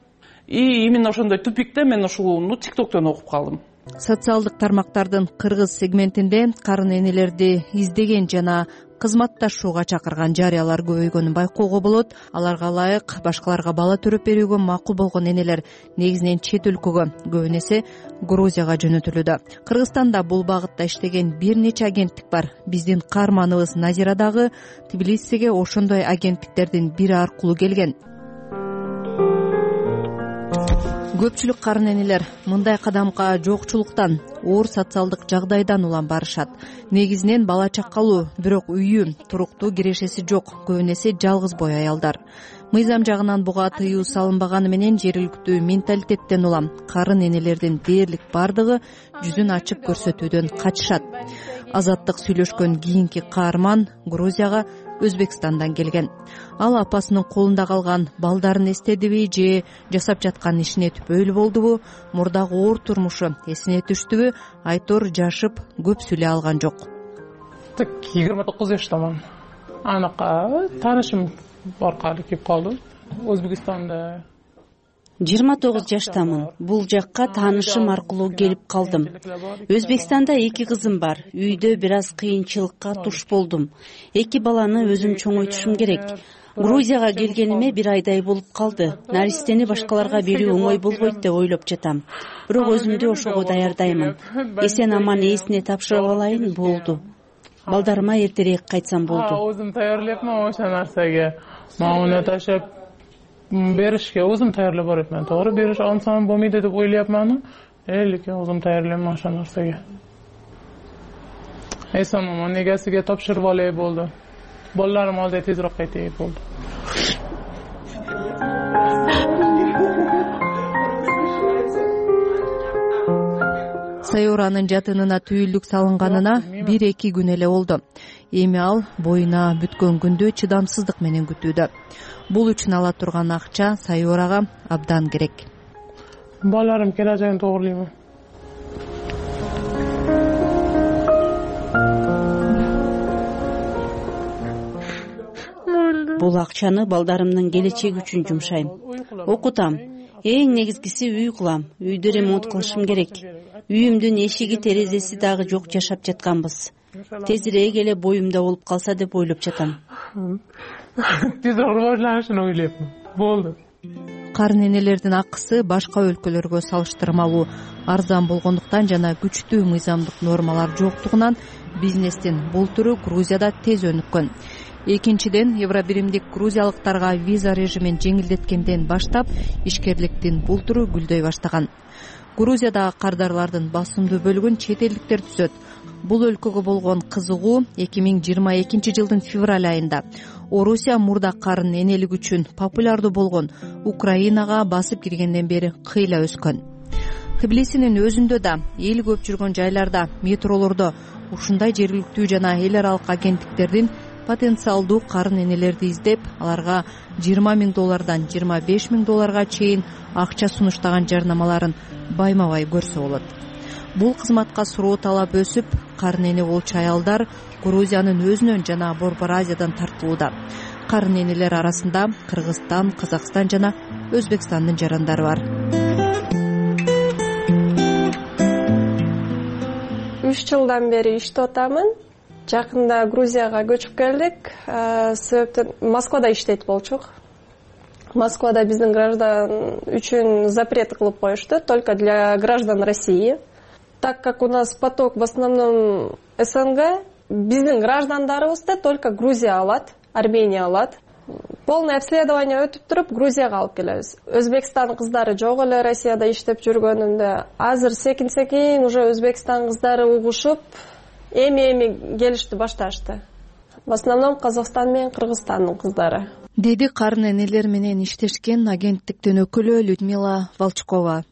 Speaker 1: И именно ошондой тупикте мен ушул TikToктон окуп калдым.
Speaker 5: Социалдык тармактардын кыргыз сегментинде карын энелерди издеген жана кызматташууга чакырган жарыялар көбөйгөнүн байкоого болот. Аларга ылайык башкаларга бала төрөп берүүгө макул болгон энелер негизинен чет өлкөгө, көбүн эсе Грузияга жөнөтүлүүдө. Кыргызстанда бул багытта иштеген бир нече агенттик бар. Биздин каарманыбыз Назира дагы Тбилисиге ошондой агенттиктердин бири аркылуу келген. көпчүлүк карын энелер мындай кадамга жокчулуктан, оор социалдык жагдайдан улам барышат. Негизинен бала чакалуу, бирок үйү, туруктуу кирешеси жок, көбүн эсе жалгыз бой аялдар. Мыйзам жагынан буга тыюу салынбаганы менен жергиликтүү менталитеттен улам карын энелердин дээрлик бардыгы жүзүн ачып көрсөтүүдөн качышат. Азаттык сүйлөшкөн кийинки каарман Грузияга Өзбекстандан келген. Ал апасынын колунда калган балдарын эстедиби же жасап жаткан ишине түпөйлүү болдубу, мурдагы оор турмушу эсине түштүбү, айтор жашып көп сүйлөй алган жок.
Speaker 1: 29 жаштаман. Анака таанышым аркылуу келип калды. Өзбекстанда
Speaker 6: 29 жаштамын. Бул жакка таанышым аркылуу келип калдым. Өзбекстанда 2 кызым бар. Үйдө бир аз кыйынчылыкка туш болдум. 2 баланы өзүм чоңойтушум керек. Грузияга келгениме 1 айдай болуп калды. Наристени башкаларга берүү оңой болбойт деп ойлоп жатам. Бирок өзүмдү ошого даярдаймын. Эсен аман ээсине тапшырып алайын болду. Балдарыма эртерээк кайтсам болду.
Speaker 1: Өзүм даярляпман ошо нерсеге. Мауна ташап беришке өзүм даярдап барыпман. Туура бериш алсам болмойт деп ойлояпман. Элке өзүм даярламан ошо нерсеге. Эсен аман негесиге тапшырып алай болду. Балдарым алда тезирээк кайтay болду.
Speaker 5: Сайоранын жатынына түйүлдүк салынганына 1-2 күн эле болду. Эми ал боюна бүткөн күндү чыдамсыздык менен күтүүдө. Бул үчүн ала турган акча Сайорага абдан керек.
Speaker 1: Балдарым келажагын тоогурлайм.
Speaker 6: Бул акчаны балдарымдын келечеги үчүн жумшайм. Окутам. Эң негизгиси үй кылам. Үйдү ремонт кылышым керек. Үйүмдүн эшиги, терезеси дагы жок жашап жатканбыз. Тезирээк эле боюмда болуп калса деп ойлоп жатам.
Speaker 1: Тез оорулашын ойлойм. Болду.
Speaker 5: Карын энелердин акысы башка өлкөлөргө салыштырмалуу арзан болгондуктан жана күчтүү мыйзамдык нормалар жоктугунан бизнестин бул түрү Грузияда тез өнүккөн. Экинчиден, евробиримдик грузиялыктарга виза режимин жеңилдеткенден баштап ишкерликтин бул түрү гүлдөй баштаган. Грузиядагы кардарлардын басымдуу бөлүгүн чет элдиктер түзөт. Бул өлкөгө болгон кызыгуу 2022 жылдын февраль айында Орусия мурда карын энелик үчүн популярдуу болгон Украинага басып киргенден бери кыйла өскөн. Тбилисинин өзүндө да, эл көп жүргөн жайларда, метролордо ушундай жергиликтүү жана эл аралык агенттиктердин потенциалдуу карын энелерди издеп, аларга $20,000 $25,000 чейин акча сунуштаган жарнамаларын байма-бай көрсө болот. Бул кызматка суроо талап өсүп, карын эне болчу аялдар Грузиянын өзүнөн жана Борбор Азиядан тартылууда. Карын энелер арасында Кыргызстан, Казакстан жана Өзбекстандын жарандары бар.
Speaker 8: 3 жылдан бери иштеп атамын. Жакында Грузияга көчүп келдик. Себептен Москвада иштейт болчук. Москвада биздин граждан үчүн запрет кылып коюшту, только для граждан России. Так как у нас поток в основном СНГ, биздин граждандарыбызды только Грузия алат, Армения алат. Полное обследование өтүп туруп Грузияга алып келебиз. Өзбекстан кыздары жок эле Россияда иштеп жүргөнүндө. Азыр секин уже Өзбекстан кыздары угушуп, эми келишти башташты. В основном Казакстан менен Кыргызстандын кыздары.
Speaker 5: Деди карын энелер менен иштешкен агенттиктин өкүлү Людмила Волчкова.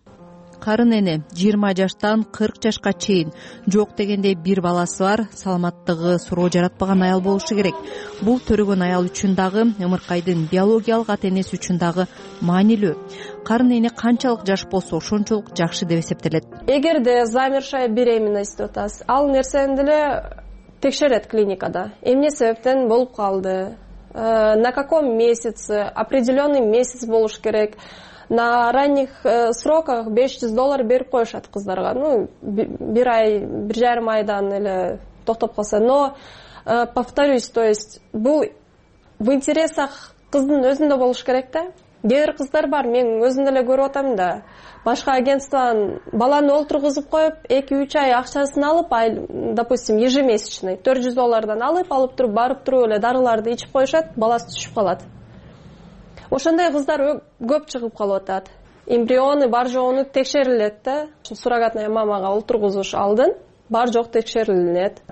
Speaker 5: Карын эне 20 жаштан 40 жашка чейин жок дегенде бир баласы бар, саламаттыгы суроо жаратпаган аял болушу керек. Бул төрөгөн аял үчүн дагы, ымыркайдын биологиялык ата-энеси үчүн дагы маанилүү. Карын эне канчалык жаш болсо ошончолук жакшы деп эсептелет.
Speaker 8: Эгерде замершая беременность деп атабыз, ал нерсени деле текшерет клиникада. Эмне себептен болуп калды? На каком месяце? Определенный месяц болуш керек. На ранних сроках $500 берип коюшат кыздарга. Бир ай, 1,5 айдан эле токтоп калса. Но повторюсь, то есть бул в интересах кыздын өзүндө болуш керек да. Кээ бир кыздар бар, мен өзүм деле көрүп атам да. Башка агентстводан баланы олтургузуп коюп, 2-3 ай акчасын алып, допустим, ежемесячный $400 алып туруп, барып туруп эле дарыларды ичип коюшат, баласы түшүп калат. Ошондой кыздар көп чыгып калып атат. эмбриону бар жогуну текшерилет да. Суррогатная мамага олтургузуш алдын бар жок текшерилет.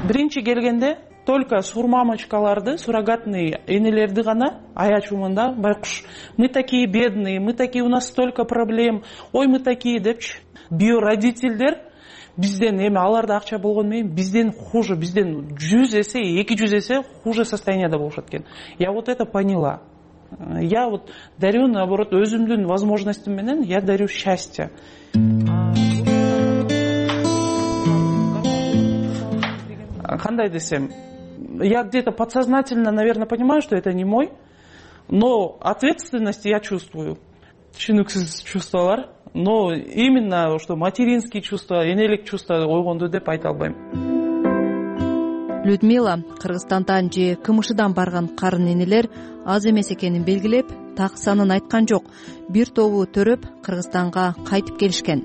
Speaker 1: Биринчи келгенде только сурмамочкаларды, суррогатный энелерди гана аячумун да, байкуш. Мы такие бедные, мы такие, у нас столько проблем. Ой, мы такие депчи. Биородительдер бизден эми аларда акча болгону менен бизден хуже, бизден 100 эсе, 200 эсе хуже состояниеда болушат экен. Я вот это поняла. Я вот дарю, наоборот, өзүмдүн возможностьум менен я дарю счастье. Кандай десем, я где-то подсознательно, наверное, понимаю, что это не мой, но ответственность я чувствую. Түшүнүксүз чувстволор, но именно что материнские чувства, энелик чувства ойгонду деп айта албайм.
Speaker 9: Людмила Кыргызстандан же КМШдан барган карын энелер аз эмес экенин белгилеп, так санын айткан жок. Бир тобу төрөп Кыргызстанга кайтып келишкен.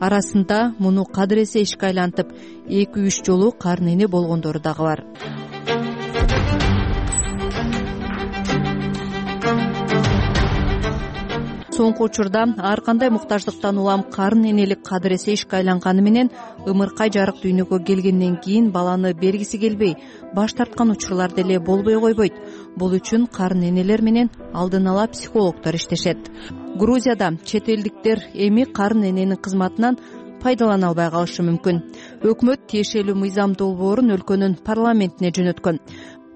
Speaker 9: Арасында муну кадыр эсе ишке айлантып, 2-3 жолу карын эне болгондору дагы бар. Соңку учурда ар кандай муктаждыктан улам карын энелик кадыр эсе ишке айланганы менен ымыркай жарык дүйнөгө келгенден кийин баланы бергиси келбей баш тарткан учурлар деле болбой койбойт. Бул үчүн карын энелер менен алдын ала психологдор иштешет. Грузияда чет элдиктер эми карын эненин кызматынан пайдалана албай калышы мүмкүн. Өкмөт тиешелүү мыйзам долбоорун өлкөнүн парламентине жөнөткөн.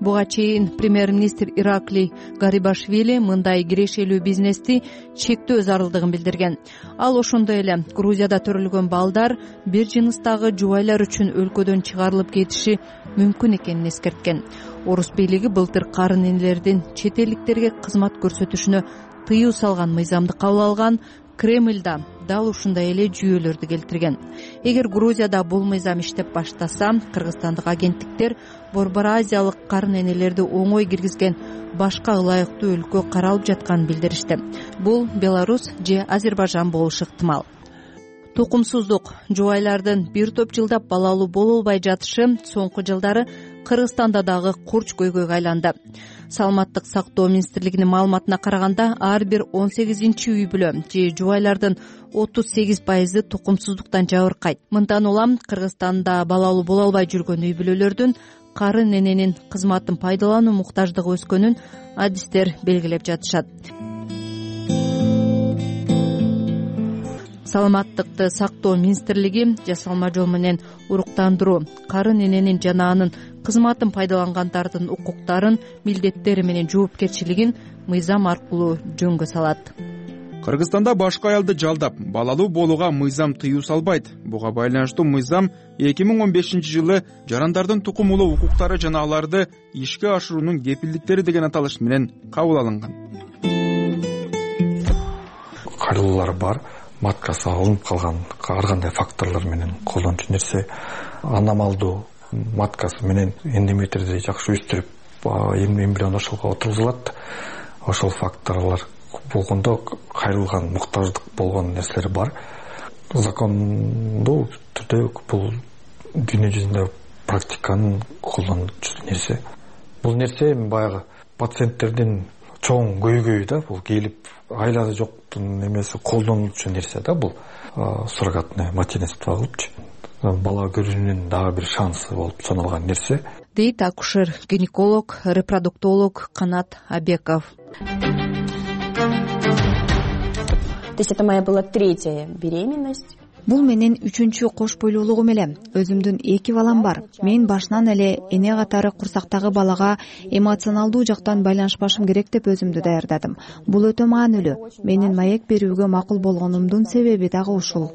Speaker 9: Буга чейин премьер-министр Ираклий Гарибашвили мындай кирешелүү бизнести чектөө зарылдыгын билдирген. Ал ошондой эле Грузияда төрөлгөн балдар бир жыныстагы жубайлар үчүн өлкөдөн чыгарылып кетиши мүмкүн экенин эскерткен. Орус бийлиги былтыр карын энелердин чет элдиктерге кызмат көрсөтүшүнө тыюу салган мыйзамды кабыл алган. Кремльда дал ушундай эле жүйөлөрдү келтирген. Эгер Грузияда бул мыйзам иштеп баштаса, кыргызстандык агенттиктер Борбор Азиялык карын энелерди оңой киргизген башка ылайыктуу өлкө каралып жатканын билдиришти. Бул Беларусь же Азербайжан болушу ыктымал. Тукумсуздук, жубайлардын бир топ жылдап балалуу боло албай жатышы соңку жылдары Кыргызстанда дагы курч көйгөйгө айланды. Саламаттык сактоо министрлигинин маалыматына караганда, ар бир 18-чи үй бүлө же жубайлардын 38% тукумсуздуктан жабыркайт. Мындан улам Кыргызстанда балалуу боло албай жүргөн үй бүлөлөрдүн карын эненин кызматын пайдалануу муктаждыгы өскөнүн адистер белгилеп жатышат. Саламаттыкты сактоо министрлиги жасалма жол менен уруктандыруу, карын эненин жана анын кызматын пайдалангандардын укуктарын, милдеттери менен жоопкерчилигин мыйзам аркылуу жөнгө салат.
Speaker 21: Кыргызстанда башка аялды жалдап, балалуу болууга мыйзам тыюу салбайт. Буга байланыштуу мыйзам 2015-жылы жарандардын тукумулуу укуктары жана аларды ишке ашыруунун кепилдиктери деген аталыш менен кабыл алынган.
Speaker 11: Кайрылуулар бар. Маткасы алынып калган ар кандай факторлор менен колдончу нерсе, аномалдуу маткасы менен эндометрди жакшы өстүрүп, эмбрион ошолго отургузулат. Ошол факторлор болгондо кайрылган, муктаждык болгон нерселер бар. Закондуу түрдө бул дүйнө жүзүндө практиканын колдончу нерсе. Бул нерсе баягы пациенттердин чоң көйгөйү да, бул келип айласы жоктун эмеси колдонулчу нерсе да, бул суррогатное материнство кылыпчы. Бала көрүүнүн дагы бир шансы болуп саналган нерсе.
Speaker 9: Дейт акушер, гинеколог, репродуктолог Канат Абеков.
Speaker 12: То есть это моя была 3-я беременность.
Speaker 13: Бул менин 3-чү кош бойлуулугум эле. Өзүмдүн 2 балам бар. Мен башынан эле эне катары курсактагы балага эмоционалдуу жактан байланышпашым керек деп өзүмдү даярдадым. Бул өтө маанилүү. Менин маек берүүгө макул болгонумдун себеби дагы ушул.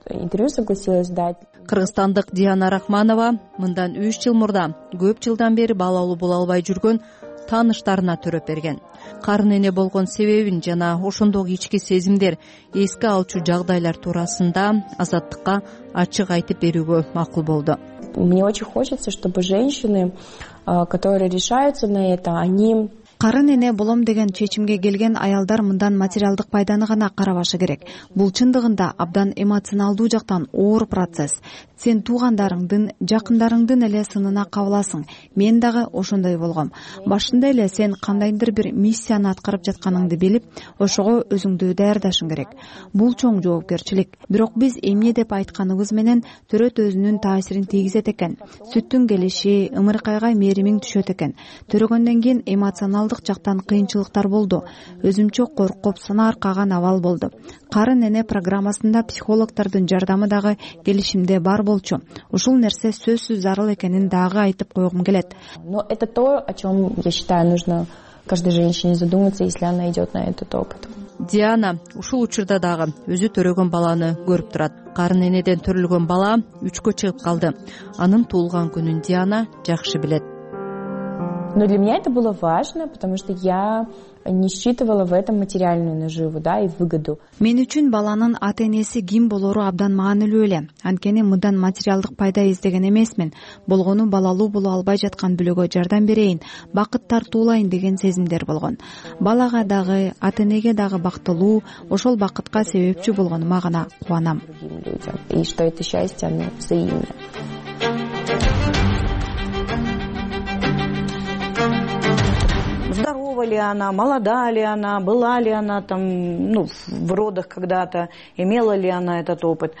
Speaker 12: Интервью согласилась дать.
Speaker 9: Кыргызстандык Диана Рахманова мындан 3 жыл мурда көп жылдан бери балалуу боло албай жүргөн тааныштарына төрөп берген. Карын эне болгон себебин жана ошондогу ички сезимдер, эске алчу жагдайлар туурасында Азаттыкка ачык айтып берүүгө макул болду.
Speaker 12: Мне очень хочется, чтобы женщины, которые решаются на это, они
Speaker 13: карын эне болом деген чечимге келген аялдар мындан материалдык пайданы гана карабашы керек. Бул чындыгында абдан эмоционалдуу жактан оор процесс. Сен туугандарыңдын, жакындарыңдын эле сынына кабыласың. Мен дагы ошондой болгом. Башында эле сен кандайдыр бир миссияны аткарып жатканыңды билип, ошого өзүңдү даярдашың керек. Бул чоң жоопкерчилик. Бирок биз эмне деп айтканыбыз менен төрөт өзүнүн таасирин тийгизет экен. Сүттүн келиши, ымыркайга мээримиң түшөт экен. Төрөгөндөн кийин эмоционалдык жактан кыйынчылыктар болду. Өзүмчө коркуп, сынаар каган абал болду. Карын эне программасында психологдордун жардамы дагы келишимде бар болчу. Ушул нерсе сөзсүз зарыл экенин дагы айтып койгум келет.
Speaker 12: Но это то, о чем, я считаю, нужно каждой женщине задуматься, если она идет на этот опыт.
Speaker 9: Диана ушул учурда дагы өзү төрөгөн баланы көрүп турат. Карын энеден төрөлгөн бала 3кө чыгып калды. Анын туулган күнүн Диана жакшы билет.
Speaker 12: Но для меня это было важно, потому что я не считывала в этом материальную наживу, да, и выгоду.
Speaker 13: Мен үчүн баланын ата-энеси ким болору абдан маанилүү эле. Анткени мындан материалдык пайда издеген эмесмин. Болгону балалуу боло албай жаткан бүлөгө жардам берейин, бакыт тартуулайын деген сезимдер болгон. Балага дагы, ата-энеге дагы бактылуу, ошол бакытка себепчи болгонума гана кубанам.
Speaker 12: И что это счастье, оно взаимно.
Speaker 4: Здорова ли она, молода ли она, была ли она там, в родах когда-то, имела ли она этот опыт.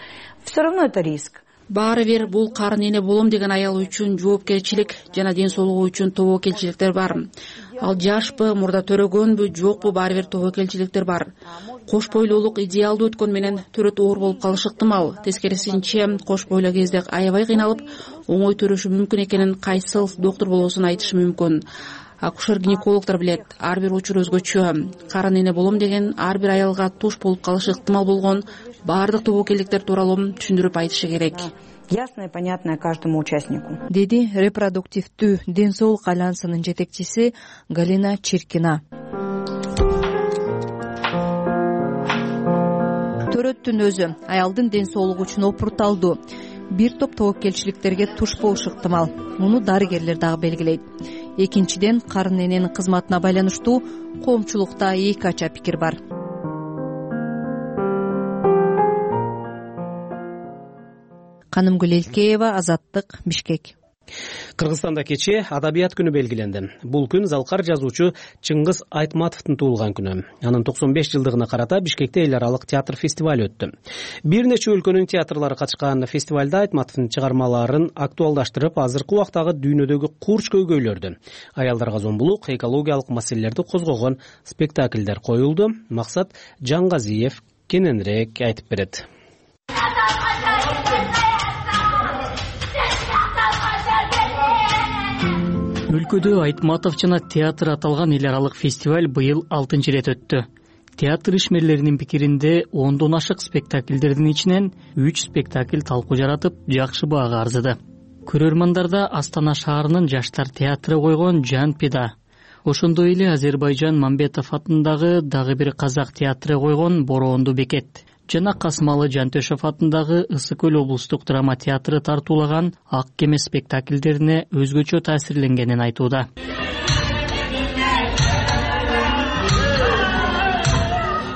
Speaker 4: Все равно это риск.
Speaker 6: Баары бир бул карын эне болом деген аял үчүн жоопкерчилик жана ден соолугу үчүн тобокелчиликтер бар. Ал жашпы, мурда төрөгөнбү, жокпу, баары бир тобокелчиликтер бар. Кош бойлуулук идеалдуу өткөн менен төрөт оор болуп калышы ыктымал. Тескерисинче, кош бойлуу кезде аябай кыйналып, оңой төрөшү мүмкүн экенин кайсыл доктур болбосун айтышы мүмкүн. Акушер-гинекологдор билет, ар бир учур өзгөчө. Карын эне болом деген ар бир аялга туш болуп калышы ыктымал болгон баардык тобокелдиктер тууралуу түшүндүрүп айтышы керек.
Speaker 4: Ясное, понятное каждому участнику.
Speaker 9: Деди репродуктивдүү ден соолук альянсынын жетекчиси Галина Чиркина. Төрөттүн өзү аялдын ден соолугу үчүн опурталдуу. Бир топ тобокелчиликтерге туш болушу ыктымал. Муну дарыгерлер дагы белгилейт. Экинчиден, карын эненин кызматына байланыштуу коомчулукта эки ача пикир бар. Канымгүл Элкеева, Азаттык, Бишкек.
Speaker 2: Кыргызстанда кечээ Адабият күнү белгиленди. Бул күн залкар жазуучу Чыңгыз Айтматовдун туулган күнү. Анын 95 жылдыгына карата Бишкекте эл аралык театр фестивалю өттү. Бир нече өлкөнүн театрлары катышкан фестивалда Айтматовдун чыгармаларын актуалдаштырып, азыркы убактагы дүйнөдөгү курч көйгөйлөрдү, аялдарга зомбулук, экологиялык маселелерди козгогон спектакльдер коюлду. Максат Жангазиев кененирээк айтып берет.
Speaker 10: Өлкөдө Айтматов жана театр аталган эл аралык фестиваль быйыл 6-чы ирет өттү. Театр ишмерлеринин пикиринде 10дон ашык спектакльдердин ичинен 3 спектакль талкуу жаратып, жакшы баага арзыды. Көрөрмандарда Астана шаарынын жаштар театры койгон Жан Пида, ошондой эле Азербайжан Мамбетов атындагы дагы бир казак театры койгон Боронду бекет жана Касымалы Жантөшев атындагы Ысык көл облустук драма театры тартуулаган Ак кеме спектакльдерине өзгөчө таасирленгенин айтууда.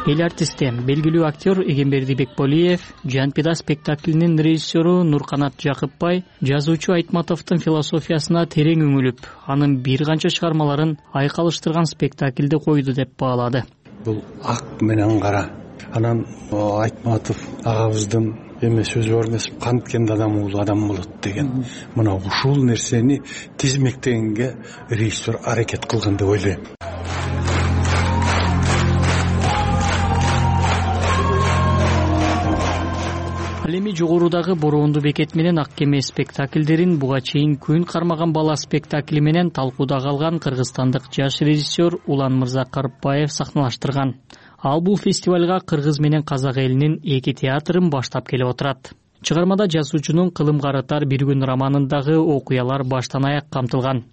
Speaker 10: Эл артисти, белгилүү актер Эгемберди Бекболиев, Жанпида спектаклинин режиссеру Нурканат Жакыпбай жазуучу Айтматовдун философиясына терең үңүлүп, анын бир канча чыгармаларын айкалыштырган спектакльди койду деп баалады.
Speaker 14: Бул ак менен кара. Анан Айтматов агабыздын эме сөзү бар эмес, канткенде адам улуу адам болот деген. Мына ушул нерсени тизмектегенге режиссер аракет кылган деп ойлойм.
Speaker 10: Ал эми жогорудагы Боронду бекет менен Ак кеме спектакльдерин буга чейин күн кармаган бала спектакли менен талкууда калган кыргызстандык жаш режиссер Улан Мырза Карыпбаев сахналаштырган. Ал бул фестивалга кыргыз менен казак элинин эки театрын баштап келип отурат. Чыгармада жазуучунун кылым карытар бир күн романындагы окуялар баштан аяк камтылган.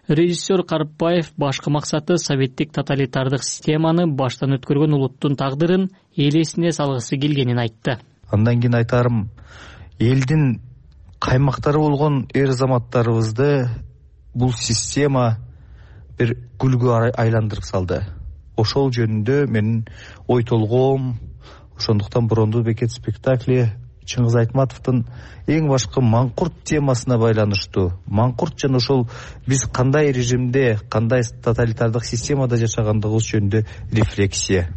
Speaker 10: Режиссер Карыпбаев башкы максаты советтик тоталитардык системаны баштан өткөргөн улуттун тагдырын эл эсине салгысы келгенин айтты.
Speaker 15: Андан кийин айтарым, элдин каймактары болгон эр заматтарыбызды бул система бир гүлгө айландырып салды. Ошол жөнүндө менин ой толгоом, ошондуктан Борондуу бекет спектакли Чыңгыз Айтматовдун эң башкы маңкурт темасына байланыштуу. Маңкурт жана ошол биз кандай режимде, кандай тоталитардык системада жашагандыгыбыз жөнүндө рефлексия.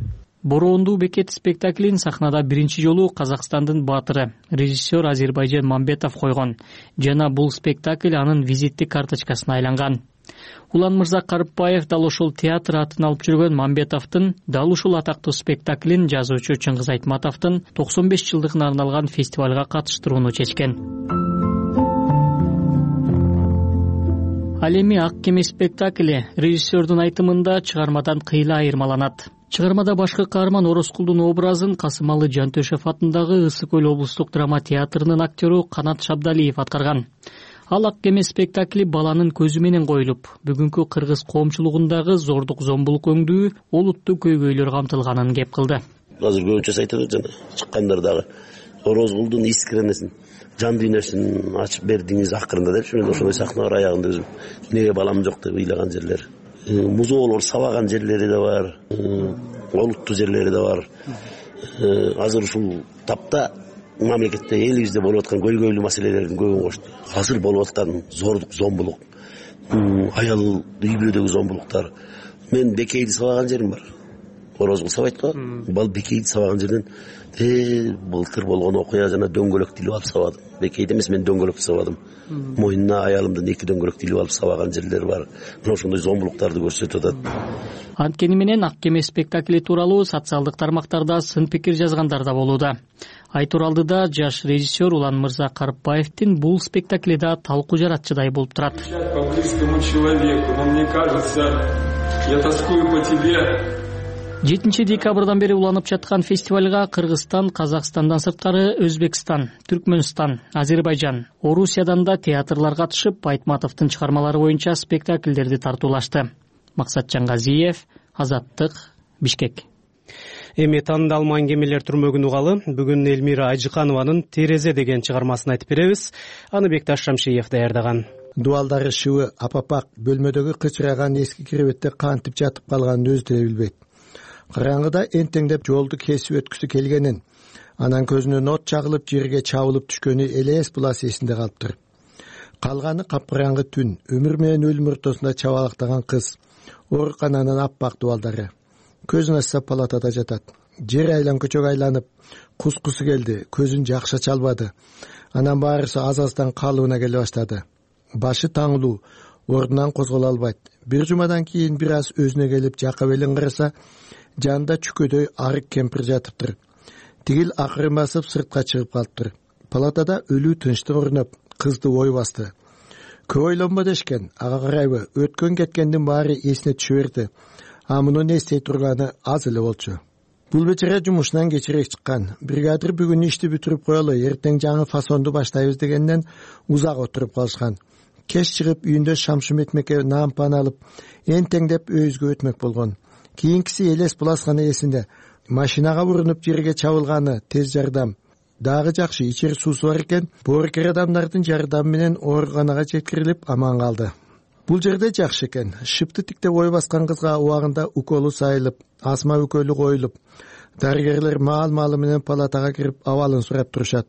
Speaker 10: Борондуу бекет спектаклин сахнада биринчи жолу Казакстандын баатыры, режиссер Азербайжан Мамбетов койгон жана бул спектакль анын визиттик карточкасына айланган. Улан Мырза Карыпбаев дал ошол театр атын алып жүргөн Мамбетовдун дал ушул атактуу спектаклин жазуучу Чыңгыз Айтматовдун 95 жылдыгына арналган фестивалга катыштырууну чечкен. Ал эми Ак кеме спектакли режиссердун айтымында чыгармадан кыйла айырмаланат. Чыгармада башкы каарман Орозкулдун образын Касымалы Жантөшев атындагы Ысык Көл облустук драма театрынын актёру Канат Шабдалиев аткарган. Ал Ак кеме спектакли баланын көзү менен коюлуп, бүгүнкү кыргыз коомчулугундагы зордук зомбулук өңдүү, олуттуу көйгөйлөр камтылганын кеп кылды.
Speaker 7: Азыр көбүнчө айтат жана чыккандар дагы Орозкулдун искренесин, жан дүйнөсүн ачып бердиңиз акырында депчи. Мен ошондой сахна бар аягында өзүм. Эмнеге балам жок деп ыйлаган жерлер. Музоолор сабаган жерлери да бар, олуттуу жерлери да бар. Азыр ушул тапта мамлекетте элибизде болуп аткан көйгөйлүү маселелердин көбүн кошту. Азыр болуп аткан зордук зомбулук, аял үй бүлөдөгү зомбулуктар. Мен Бекейди сабаган жерим бар. Орозкул сабайт го. Бал Бекейди сабаган жерден былтыр болгон окуя жана дөңгөлөктү илип алып сабадым. Бекейди эмес, мен дөңгөлөктү сабадым. Мойнуна аялымдын 2 дөңгөлөктү илип алып сабаган жерлер бар. Мына ошондой зомбулуктарды көрсөтүп атат.
Speaker 10: Анткени менен Ак кеме спектакли тууралуу социалдык тармактарда сын пикир жазгандар да болууда. Айтуралдыда жаш режиссер Улан Мырза Карыпбаевдин бул спектаклида талкуу жаратчыдай болуп турат.
Speaker 16: По близкому человеку, но мне кажется, я тоскую по тебе.
Speaker 10: 7 декабрдан бери уланып жаткан фестивалга Кыргызстан, Казакстандан сырткары Өзбекстан, Түркмөнстан, Азербайжан, Орусиядан да театрлар катышып, Айтматовдун чыгармалары боюнча спектакльдерди тартуулашты. Максатжан Газиев, Азаттык, Бишкек.
Speaker 2: Эми таандалуу аңгемелер түрмөгүн угалы бүгүн Элмира Ажыканованын Терезе деген чыгармасын айтып беребиз. Аны Бекташ Шамшиев даярдаган.
Speaker 18: Дубалдары шыбы апапак бөлмөдөгү кычыраган эски киребетте кантип жатып калганын өзү деле билбейт. Караңгыда энтеңдеп жолду кесип өткүсү келгенин, анан көзүнөн от чагылып жерге чабылып түшкөнү элес булас эсинде калыптыр. Калганы капкараңгы түн, өмүр менен өлүм ортосунда чабалактаган кыз, оорукананын аппак дубалдары. Көзүн ачса палатада жатат. Жер айлан көчөгө айланып, кускусу келди, көзүн жакшы ача албады. Анан баарысы аз-аздан калыбына келе баштады. Башы таңылуу, ордунан козголо албайт. Бир жумадан кийин бир аз өзүнө келип жака белин караса, жанында чүкөдөй арык кемпир жатыптыр. Тигил акырын басып сыртка чыгып калыптыр. Палатада өлүү тынчтык орноп, кызды ой басты. Көп ойлонбо дешкен, ага карайбы, өткөн кеткендин баары эсине түшө берди. А мунун эстей турганы аз эле болчу. Бул бечара жумушунан кечирээк чыккан. Бригадир бүгүн ишти бүтүрүп коелу, эртең жаңы фасонду баштайбыз дегенден узак отуруп калышкан. Кеч чыгып үйүндө шамшым этмекке наан пан алып, энтеңдеп өйүзгө өтмөк болгон. Кийинкиси элес булас гана эсинде. Машинага урунуп жерге чабылганы, тез жардам. Дагы жакшы, ичери суусу бар экен. Боорукер адамдардын жардамы менен ооруканага жеткирилип аман калды. Бул жерде жакшы экен. Шыпты тиктеп ой баскан кызга убагында уколу сайылып, астма үкөлү коюлуп, дарыгерлер маал-маалы менен палатага кирип абалын сурап турушат.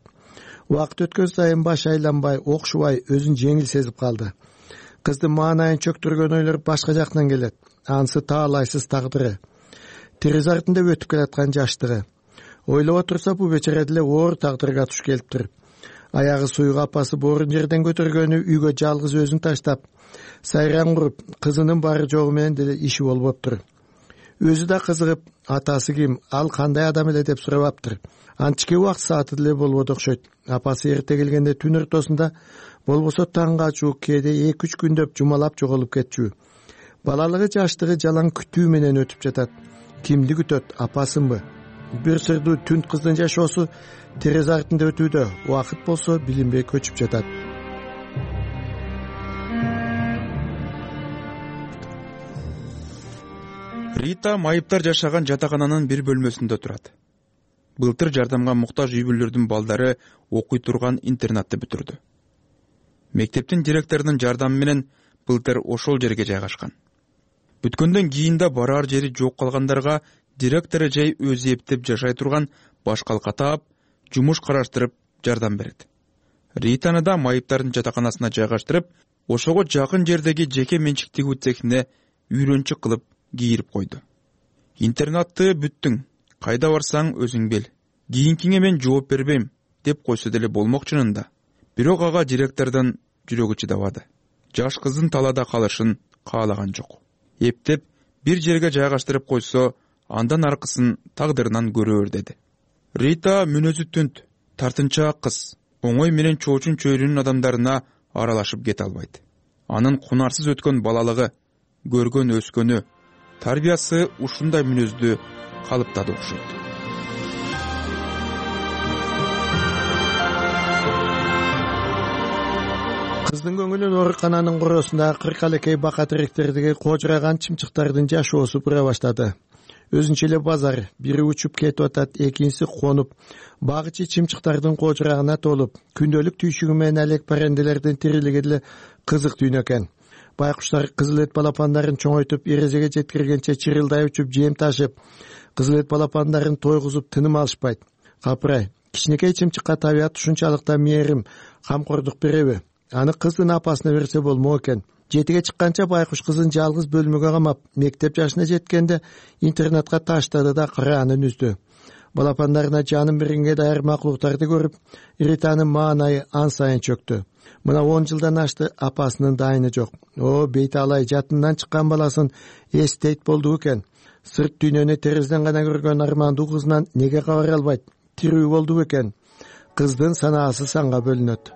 Speaker 18: Убакыт өткөн сайын баш айланбай, окшубай, өзүн жеңил сезип калды. Кыздын маанайын чөктүргөн ойлор башка жактан келет. Ансы таалайсыз тагдыры. Терезе артында өтүп келаткан жаштыгы. Ойлоп турса бул бечара деле оор тагдырга туш келиптир. Аягы суюга апасы боорун жерден көтөргөнү үйгө жалгыз өзүн таштап, сайран куруп, кызынын бары жогу менен деле иши болбоптур. Өзү да кызыгып, атасы ким, ал кандай адам эле деп сурабаптыр. Анчке убакыт сааты деле болбоду окшойт. Апасы эрте келгенде түн ортосунда, болбосо таңга чуук, кээде 2-3 күндөп жумалап жоголуп кетчү. Балалыгы жаштыгы жалаң күтүү менен өтүп жатат. Кимди күтөт, апасынбы? Бир сырдуу түн кыздын жашоосу терезе артында өтүүдө, убакыт болсо билинбей көчүп жатат.
Speaker 21: Рита майыптар жашаган жатакананын бир бөлмөсүндө турат. Былтыр жардамга муктаж үй бүлөлөрдүн балдары окуй турган интернатты бүтүрдү. Мектептин директорунун жардамы менен былтыр ошол жерге жайгашкан. Бүткөндөн кийин да барар жери жок калгандарга директору жай өзү эптеп жашай турган башкалка таап, жумуш караштырып жардам берет. Ританы да майыптардын жатаканасына жайгаштырып, ошого жакын жердеги жеке менчик тигүү цехине үйрөнчүк кылып кийирип койду. Интернатты бүттүң, кайда барсаң өзүң бил. Кийинкиңе мен жооп бербейм деп койсо деле болмок чынында. Бирок ага директордун жүрөгү чыдабады. Жаш кыздын талаада калышын каалаган жок. Эптеп бир жерге жайгаштырып койсо, андан аркысын тагдырынан көрөр деди. Рита мүнөзү түнт, тартынчаак кыз, оңой менен чоочун чөйрөнүн адамдарына аралашып кете албайт. Анын кунарсыз өткөн балалыгы, көргөн өскөнү, тарбиясы ушундай мүнөздү калыптады окшойт.
Speaker 18: Кыздын көңүлүн оорукананын короосундагы кыркалекей бака теректердеги кожураган чымчыктардын жашоосу бура баштады. Өзүнчө эле базар, бири учуп кетип атат, экинчиси конуп, багычы чымчыктардын кожурагына толуп, күндөлүк түйшүгү менен алек паренделердин тирилиги деле кызык дүйнө экен. Байкуштар кызыл эт балапандарын чоңойтуп, эрежеге жеткиргенче чырылдай учуп, жем ташып, кызыл эт балапандарын тойгузуп тыным алышпайт. Капырай, кичинекей чымчыкка табият ушунчалык да мээрим, камкордук береби? Аны кыздын апасына берсе болмок экен. Жетиге чыкканча байкуш кызын жалгыз бөлмөгө камап, мектеп жашына жеткенде интернатка таштады да кыраанын үздү. Балапандарына жанын беренге даяр макулуктарды көрүп, Ританын маанайы ан сайын чөктү. Мына 10 жылдан ашты, апасынын дайыны жок. Бейти алай жатынан чыккан баласын эстейт болду экен. Сырт дүйнөнү терезеден гана көргөн армандуу кызынан неге кабар албайт? Тирүү болду экен. Кыздын санаасы санга бөлүнөт.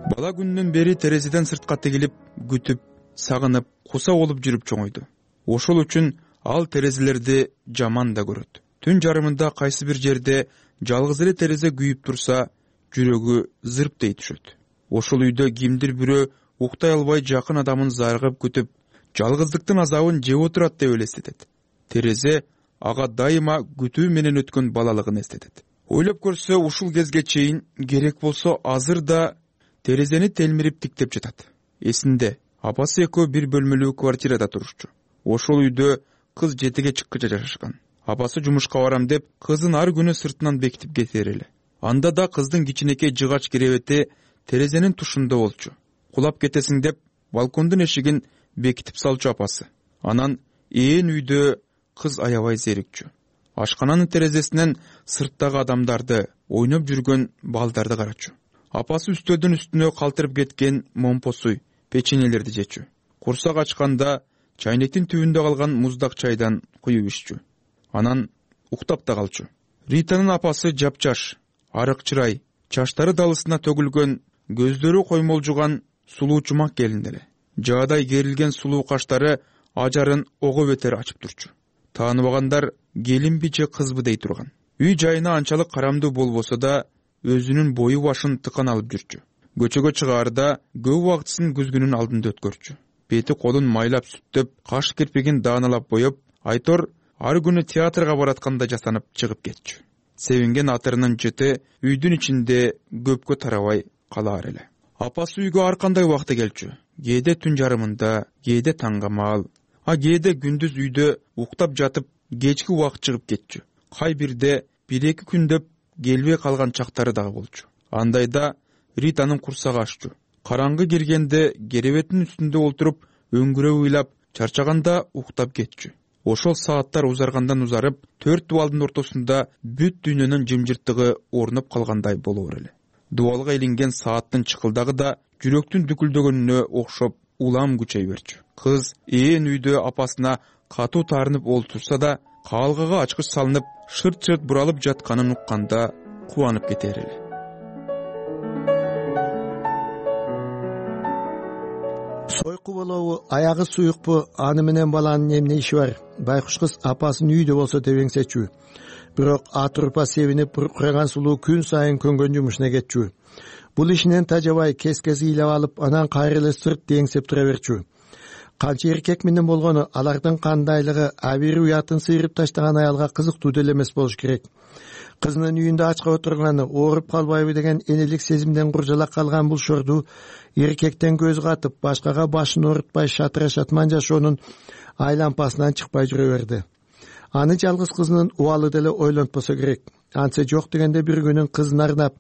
Speaker 21: Бала күнүнөн бери терезеден сыртка тигилип, күтүп, сагынып, куса болуп жүрүп чоңойду. Ошол үчүн ал терезелерди жаман да көрөт. Түн жарымында кайсы бир жерде жалгыз эле терезе күйүп турса, жүрөгү зырптей түшөт. Ошол үйдө кимдир бирөө уктай албай жакын адамын зарыгып күтүп, жалгыздыктын азабын жеп отурат деп элестетет. Терезе ага дайыма күтүү менен өткөн балалыгын эстетет. Ойлоп көрсө, ушул кезге чейин керек болсо азыр да терезени телмирип тиктеп жатат. Эсинде, апасы экөө бир бөлмөлүү квартирада турушчу. Ошол үйдө кыз жетиге чыккыча жашашкан. Апасы жумушка барам деп, кызын ар күнү сыртынан бекитип кетер эле. Анда да кыздын кичинекей жыгач керебети терезенин тушунда болчу. Кулап кетесиң деп, балкондун эшигин бекитип салчу апасы. Анан ээн үйдө кыз аябай зерикчү. Ашкананын терезесинен сырттагы адамдарды, ойноп жүргөн балдарды карачу. Апасы үстөлдүн үстүнө калтырып кеткен момпосуй, печеньелерди жечү. Курсак ачканда чайнектин түбүндө калган муздак чайдан куюп иччү. Анан уктап да калчу. Ританын апасы жапжаш, арык чырай, чачтары далысына төгүлгөн, көздөрү коймолжуган сулуу чумак келин эле. Жаадай керилген сулуу каштары ажарын ого бетер ачып турчу. Тааныбагандар келинби же кызбы дей турган. Үй жайына анчалык карамдуу болбосо да, өзүнүн бою башын тыкан алып жүрчү. Көчөгө чыгаарда көп убактысын күзгүнүн алдында өткөрчү. Бети колун майлап сүттөп, каш кирпигин дааналап боеп, айтор ар күнү театрга баратканда жасанып чыгып кетчү. Себинген атырынын жыты үйдүн ичинде көпкө тарабай калаар эле. Апасы үйгө ар кандай убакта келчү. Кээде түн жарымында, кээде таңгамал, кээде күндүз үйдө уктап жатып, кечки убакыт чыгып кетчү. Кай бирде 1-2 күндөп келбей калган чактары дагы болчу. Андайда Ританын курсагы аччу. Караңгы киргенде керебеттин үстүндө олтуруп, өңгүрөп ыйлап, чарчаганда уктап кетчү. Ошол сааттар узаргандан узарып, 4 дубалдын ортосунда бүт дүйнөнүн жымжырттыгы орнуп калгандай болоор эле. Дубалга илинген сааттын чыкылдагы да жүрөктүн дүкүлдөгөнүнө окшоп улам күчөй берчү. Кыз ээн үйдө апасына катуу таарынып олтурса да, каалгага ачкыч салынып, шырт-шырт буралып жатканын укканда кубанып кетер эле.
Speaker 18: Сойку болобу, аягы суюкпу, аны менен баланын эмне иши бар? Байкуш кыз апасын үйдө болсо деп эңсечү. Бирок атурпа себинип кураган сулуу күн сайын көнгөн жумушуна кетчү. Бул ишинен тажабай кес-кес ыйлап алып, анан кайра эле сырт деңсеп тура берчү. Канча эркек менен болгону, алардын кандайлыгы абийир уятын сыйрып таштаган аялга кызыктуу деле эмес болуш керек. Кызынын үйүндө ачка отурганы, ооруп калбайбы деген энелик сезимден куржалак калган бул шорду эркектен көз катып, башкага башын оорутпай шатыра шатман жашоонун айлампасынан чыкпай жүрө берди. Аны жалгыз кызынын убалы деле ойлонтпосо керек. Антсе жок дегенде бир күнүн кызын арнап,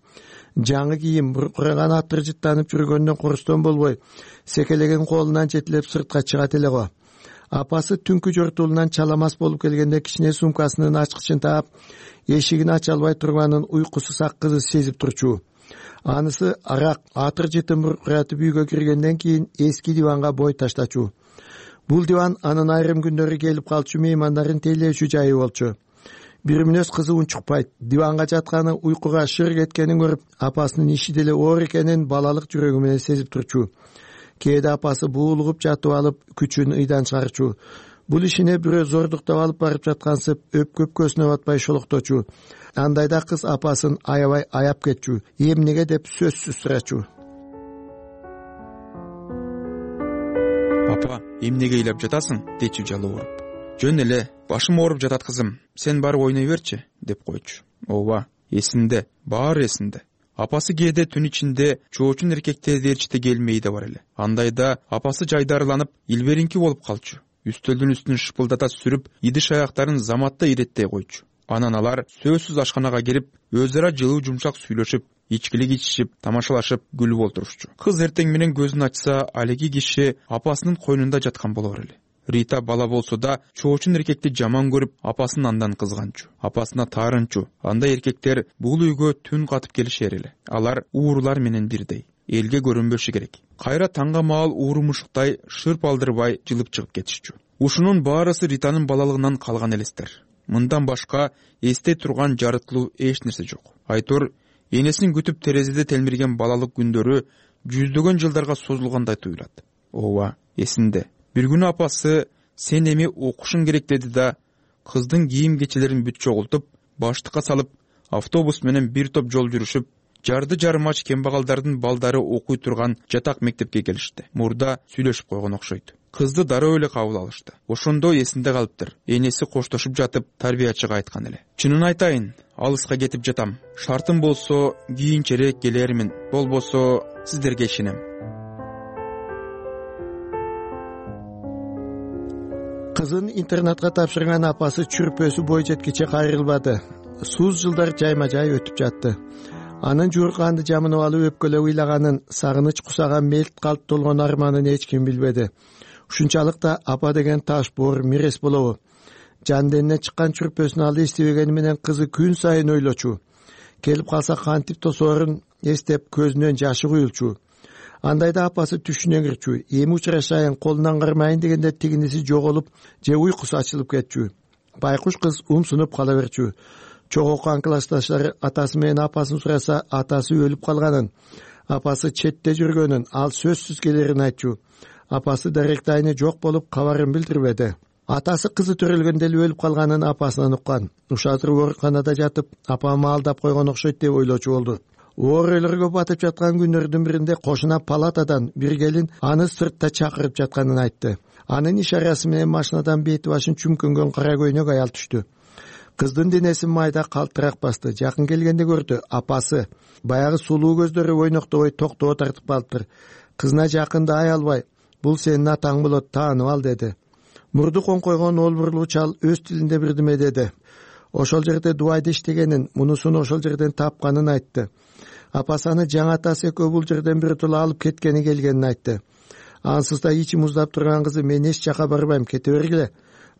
Speaker 18: жаңы кийим, буркураган атыр жыттанып жүргөндөн корустон болбой, секелеген колунан жетилеп сыртка чыгат эле го. Апасы түнкү жортуулунан чаламас болуп келгенде кичине сумкасынын ачкычын таап, эшигин ача албай турганын уйкусу сак кызы сезип турчу. Анысы арак, атыр жытын буркуратып үйгө киргенден кийин эски диванга бой таштачу. Бул диван анын айрым күндөрү келип калчу меймандарын тейлөөчү жайы болчу. Бир мүнөз кызы унчукпайт. Диванга жатканы уйкуга шыр кеткенин көрүп, апасынын иши деле оор экенин балалык жүрөгү менен сезип турчу. Кээде апасы буулугуп жатып алып, күчүн ыйдан чыгарчу. Бул ишине бирөө зордуктап алып барып жаткансып, өпкөп көзүнө батпай шолокточу. Андайда кыз апасын аябай аяп кетчү. Эмнеге деп сөзсүз сурачу.
Speaker 21: Папа, эмнеге ыйлап жатасың? Дечү жалы ооруп. Жөн эле, башым ооруп жатат кызым. Сен барып ойной берчи, деп койчу. Ооба, эсинде, баары эсинде. Апасы кээде түн ичинде чоочун эркектерди ээрчите келмей да бар эле. Андайда апасы жайдарланып, илберинки болуп калчу. Үстөлдүн үстүн шыпылдата сүрүп, идиш аяктарын заматта иреттей койчу. Анан алар сөзсүз ашканага кирип, өз ара жылуу жумшак сүйлөшүп, ичкилик ичишип, тамашалашып, күлүп олтурушчу. Кыз эртең менен көзүн ачса, алеги киши апасынын койнунда жаткан болор эле. Рита бала болсо да чоочун эркекти жаман көрүп, апасын андан кызганчу, апасына таарынчу. Андай эркектер бул үйгө түн катып келишер эле. Алар уурулар менен бирдей, элге көрүнбөшү керек. Кайра таңга маал уурумушуктай шырп алдырбай жылып чыгып кетишчү. Ушунун баарысы Ританын балалыгынан калган элестер. Мындан башка эстей турган жарыктылуу эч нерсе жок. Айтор энесин күтүп терезеде телмирген балалык күндөрү жүздөгөн жылдарга созулгандай туюлат. Ооба, эсинде. Бир күнү апасы сен эми окушуң керек деди да, кыздын кийим кечелерин бүт чогултуп, баштыкка салып, автобус менен бир топ жол жүрүшүп, жарды жарымач кембагалдардын балдары окуй турган жатак мектепке келишти. Мурда сүйлөшүп койгон окшойт. Кызды дароо эле кабыл алышты. Ошондо эсинде калыптыр. Энеси коштошуп жатып, тарбиячыга айткан эле. Чынын айтайын, алыска кетип жатам. Шартым болсо кийинчерээк келермин, болбосо сиздерге ишенем.
Speaker 18: Кызын интернатка тапшырган апасы чүрпөсү бой жеткиче кайрылбады. Сууз жылдар жайма-жай өтүп жатты. Анын жуурканды жамынып алып өпкөлөп ыйлаганын, сагыныч кусаган мелт калп толгон арманын эч ким билбеди. Ушунчалык да апа деген таш боор мирес болобу. Жан денинен чыккан чүрпөсүн алды эстебегени менен кызы күн сайын ойлочу. Келип калса кантип тосоорун эстеп көзүнөн жашы куюлчу. Андайда апасы түшүнө кирчү. Эми учурашайын, колунан кармайын дегенде тигиниси жоголуп, же уйкусу ачылып кетчү. Байкуш кыз умсунуп кала берчү. Чогуу окуган классташтары атасы менен апасын сураса, атасы өлүп калганын, апасы четте жүргөнүн, ал сөзсүз келерин айтчу. Апасы даректайны жок болуп, кабарын билдирбеди. Атасы кызы төрөлгөндө эле өлүп калганын апасынан уккан. Ушазыр ооруканада жатып, апамы алдап койгон окшойт деп ойлочу болду. Оорөлөргө батып жаткан күндөрдүн биринде кошуна палатадан бир келин аны сыртта чакырып жатканын айтты. Анын ишарасы менен машинадан бети башын чүмкөнгөн кара көйнөк аял түштү. Кыздын денесин майда калтырак басты. Жакын келгенде көрдү. Апасы баягы сулуу көздөрү ойноктобой токтоо тартып калыптыр. Кызына жакындай албай, бул сенин атаң болот, таанып ал деди. Мурду коңкойгон олбурлуу чал өз тилинде бирдеме деди. Ошол жерде дубайда иштегенин, мунусун ошол жерден тапканын айтты. Апасы аны жаңы атасы экөө бул жерден биротоло алып кеткени келгенин айтты. Ансыз да ичи муздап турган кызы мен эч жака барбайм, кете бергиле,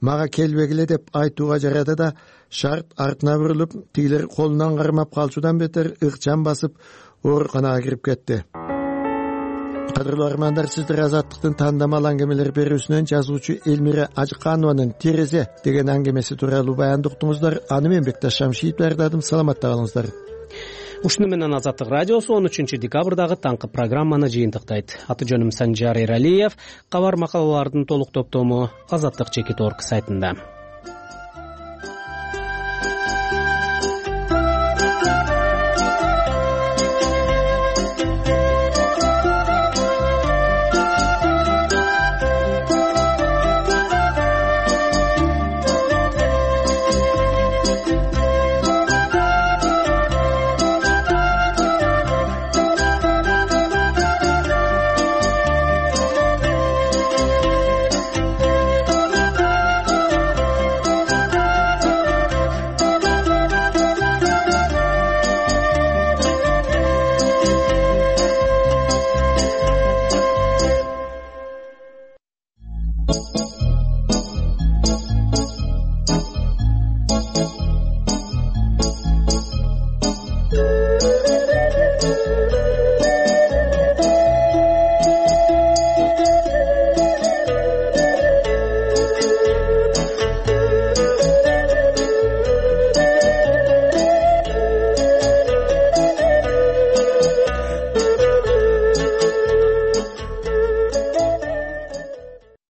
Speaker 18: мага келбегиле деп айтууга жарады да, шарт артына бурулуп, тигилер колунан кармап калчудан бетер ыкчам басып ооруканага кирип кетти. Кадырлуу армандар, сиздер Азаттыктын тандамал аңгемелер берүүсүнөн жазуучу Элмира Ажыканованын «Терезе» деген аңгемеси тууралуу баянды уктуңуздар. Аны мен Бекташ Шамшиев даярдадым. Саламатта калыңыздар.
Speaker 2: Ушуну менен Азаттык радиосу 13 декабрдагы таңкы программаны жыйынтыктайт. Аты жөнүм Санжар Эралиев. Кабар макалалардын толук топтому Азаттык.org сайтында.
Speaker 17: Ай